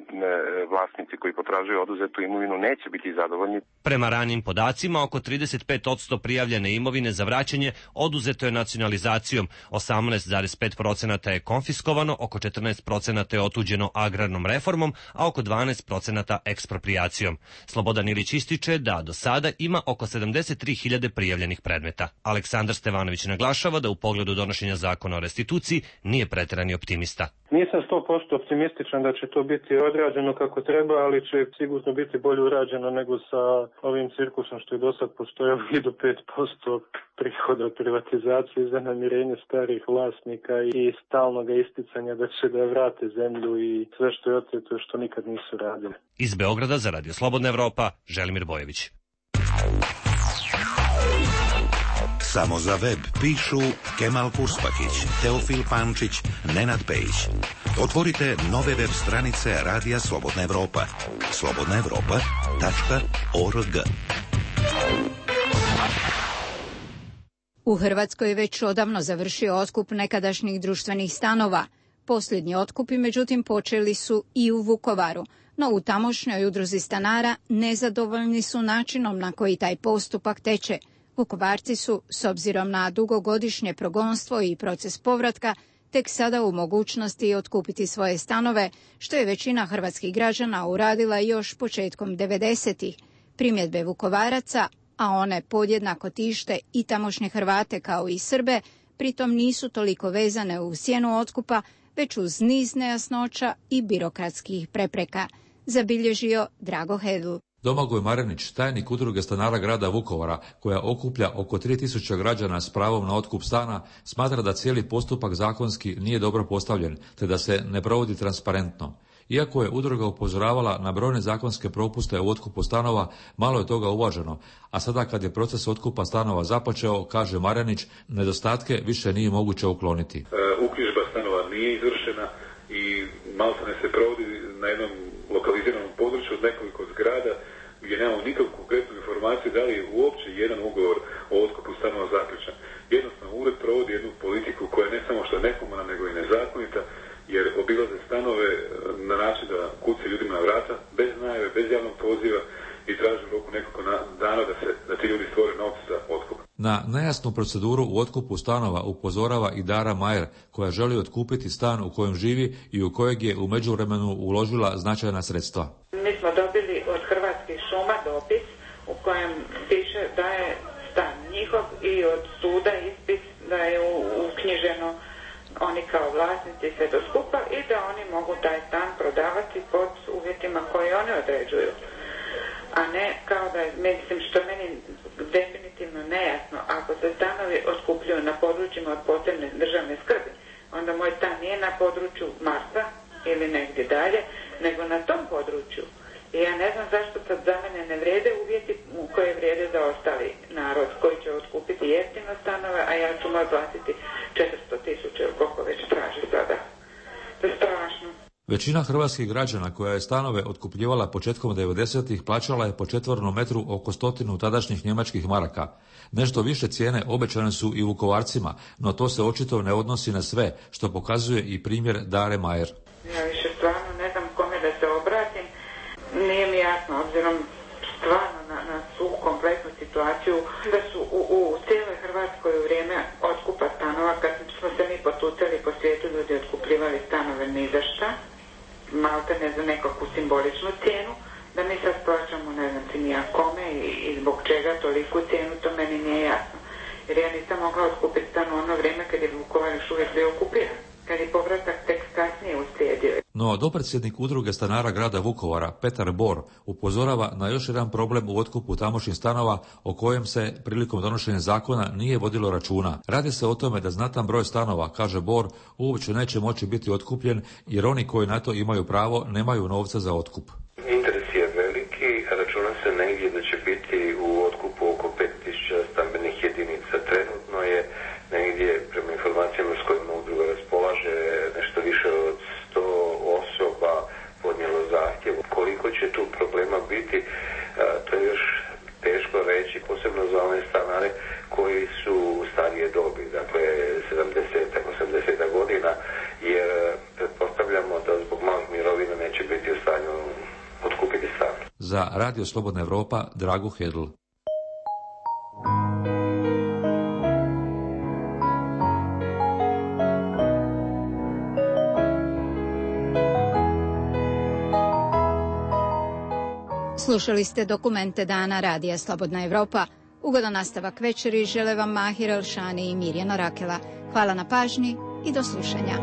vlasnici koji potražuju oduzetu imovinu neće biti zadovoljni. Prema ranijim podacima, oko 35% prijavljene imovine za vraćanje oduzeto je nacionalizacijom, 18,5% je konfiskovano, oko 14% je otuđeno agrarnom reformom, a oko 12% eksproprijacijom. Slobodan Ilić ističe da do sada ima oko 73.000 prijavljenih predmeta. Aleksandar Stevanović naglašava da u pogledu donošenja zakona o restituciji nije preterani optimista. Nisam 100% optimističan da će to biti odrađeno kako treba, ali će sigurno biti bolje urađeno nego sa ovim cirkusom što je do sad postojao i do 5% prihoda od privatizacije za namirenje starih vlasnika i stalnog isticanja da će da vrate zemlju i sve što je oteto što nikad nisu radili. Iz Beograda za Radio Slobodna Evropa, Želimir Bojević. Samo za web pišu Kemal Purspakić, Teofil Pančić, Nenad Pejić. Otvorite nove web stranice Radija Slobodna Evropa. slobodnaevropa.org. U Hrvatskoj je već odavno završio otkup nekadašnjih društvenih stanova. Posljednji otkupi, međutim, počeli su i u Vukovaru, no u tamošnjoj udruzi stanara nezadovoljni su načinom na koji taj postupak teče. Vukovarci su, s obzirom na dugogodišnje progonstvo i proces povratka, tek sada u mogućnosti otkupiti svoje stanove, što je većina hrvatskih građana uradila još početkom 90-ih. Primjedbe Vukovaraca, a one podjednako tište i tamošnje Hrvate kao i Srbe, pritom nisu toliko vezane uz cijenu otkupa, već uz niz nejasnoća i birokratskih prepreka, zabilježio Drago Hedl. Domagoj Marenić, tajnik udruge stanara grada Vukovara, koja okuplja oko 3000 građana s pravom na otkup stana, smatra da cijeli postupak zakonski nije dobro postavljen, te da se ne provodi transparentno. Iako je udruga upozoravala na brojne zakonske propuste u otkupu stanova, malo je toga uvaženo, a sada kad je proces otkupa stanova započeo, kaže Marenić, nedostatke više nije moguće ukloniti. Uknjižba stanova nije izvršena i maltene se provodi na jednom lokaliziranom području od nekoliko zgrada gdje nemamo nikakvu konkretnu informaciju da li je uopće jedan ugovor o otkupu stanova zaključen. Jednostavno ured provodi jednu politiku koja ne samo što je nehumanna nego i nezakonita, jer obilaze stanove na način da kuce ljudima na vrata, bez najave, bez javnog poziva i traži u roku nekoliko dana da ti ljudi stvore novce za otkup. Na nejasnu proceduru u otkupu stanova upozorava i Dara Majer, koja želi otkupiti stan u kojem živi i u kojeg je u međuvremenu uložila značajna sredstva. Mi smo dobili od Hrvatskih šuma dopis u kojem piše da je stan njihov i od suda ispis da je uknjiženo oni kao vlasnici sve do skupa i da oni mogu taj stan prodavati pod uvjetima koje oni određuju. A ne kao da je, mislim, što meni definitivno nejasno, ako se stanovi otkupljuju na područjima od posebne državne skrbi, onda moj stan nije na području Marsa ili negdje dalje, nego na tom području. I ja ne znam zašto sad za mene ne vrede uvjeti koje vrede za ostali narod koji će otkupiti jeftino stanove, a ja ću moj platiti 400.000 ili koliko već traži sada. To je strašno. Većina hrvatskih građana koja je stanove otkupljivala početkom 90-ih plaćala je po četvornom metru oko 100 tadašnjih njemačkih maraka. Nešto više cijene obećane su i Vukovarcima, no to se očito ne odnosi na sve, što pokazuje i primjer Dare Majer. Ja više stvarno ne znam kome da se obratim. Nije mi jasno, obzirom stvarno na svu kompletnu situaciju, da su u cijeloj Hrvatskoj u vrijeme otkupa stanova, kad smo se mi potucali po svijetu, ljudi otkupljivali stanove ni za šta, malte ne za nekakvu simboličnu cijenu, da mi sad plaćamo ne znam ti nija kome i zbog čega toliku cijenu, to meni nije jasno. Jer ja nisam mogla otkupiti stan u ono vrijeme kad je Vukovar još uvijek bio okupiran, kad je povratak tek kasnije uslijedio. No No, dopredsjednik udruge stanara grada Vukovara, Petar Bor, upozorava na još jedan problem u otkupu tamošnjih stanova o kojem se prilikom donošenja zakona nije vodilo računa. Radi se o tome da znatan broj stanova, kaže Bor, uopće neće moći biti otkupljen jer oni koji na to imaju pravo nemaju novca za otkup. Interes je veliki, računa se negdje da će biti u otkupu oko 5000 stambenih jedinica. Trenutno je negdje, prema informacijama s kojima udruga raspolaže, nešto više od 100 osoba podnijelo zahtjev. Koliko će tu problema biti, to je još teško reći, posebno za one stanare koji su starije dobi, dakle 70-80 godina, jer pretpostavljamo da zbog malih mirovina neće biti u stanju otkupiti stan. Za Radio Slobodna Evropa, Drago Hedl. Slušali ste dokumente dana Radija Slobodna Evropa. Ugodan nastavak večeri žele vam Mahir Elšani i Mirjana Rakela. Hvala na pažnji i do slušanja.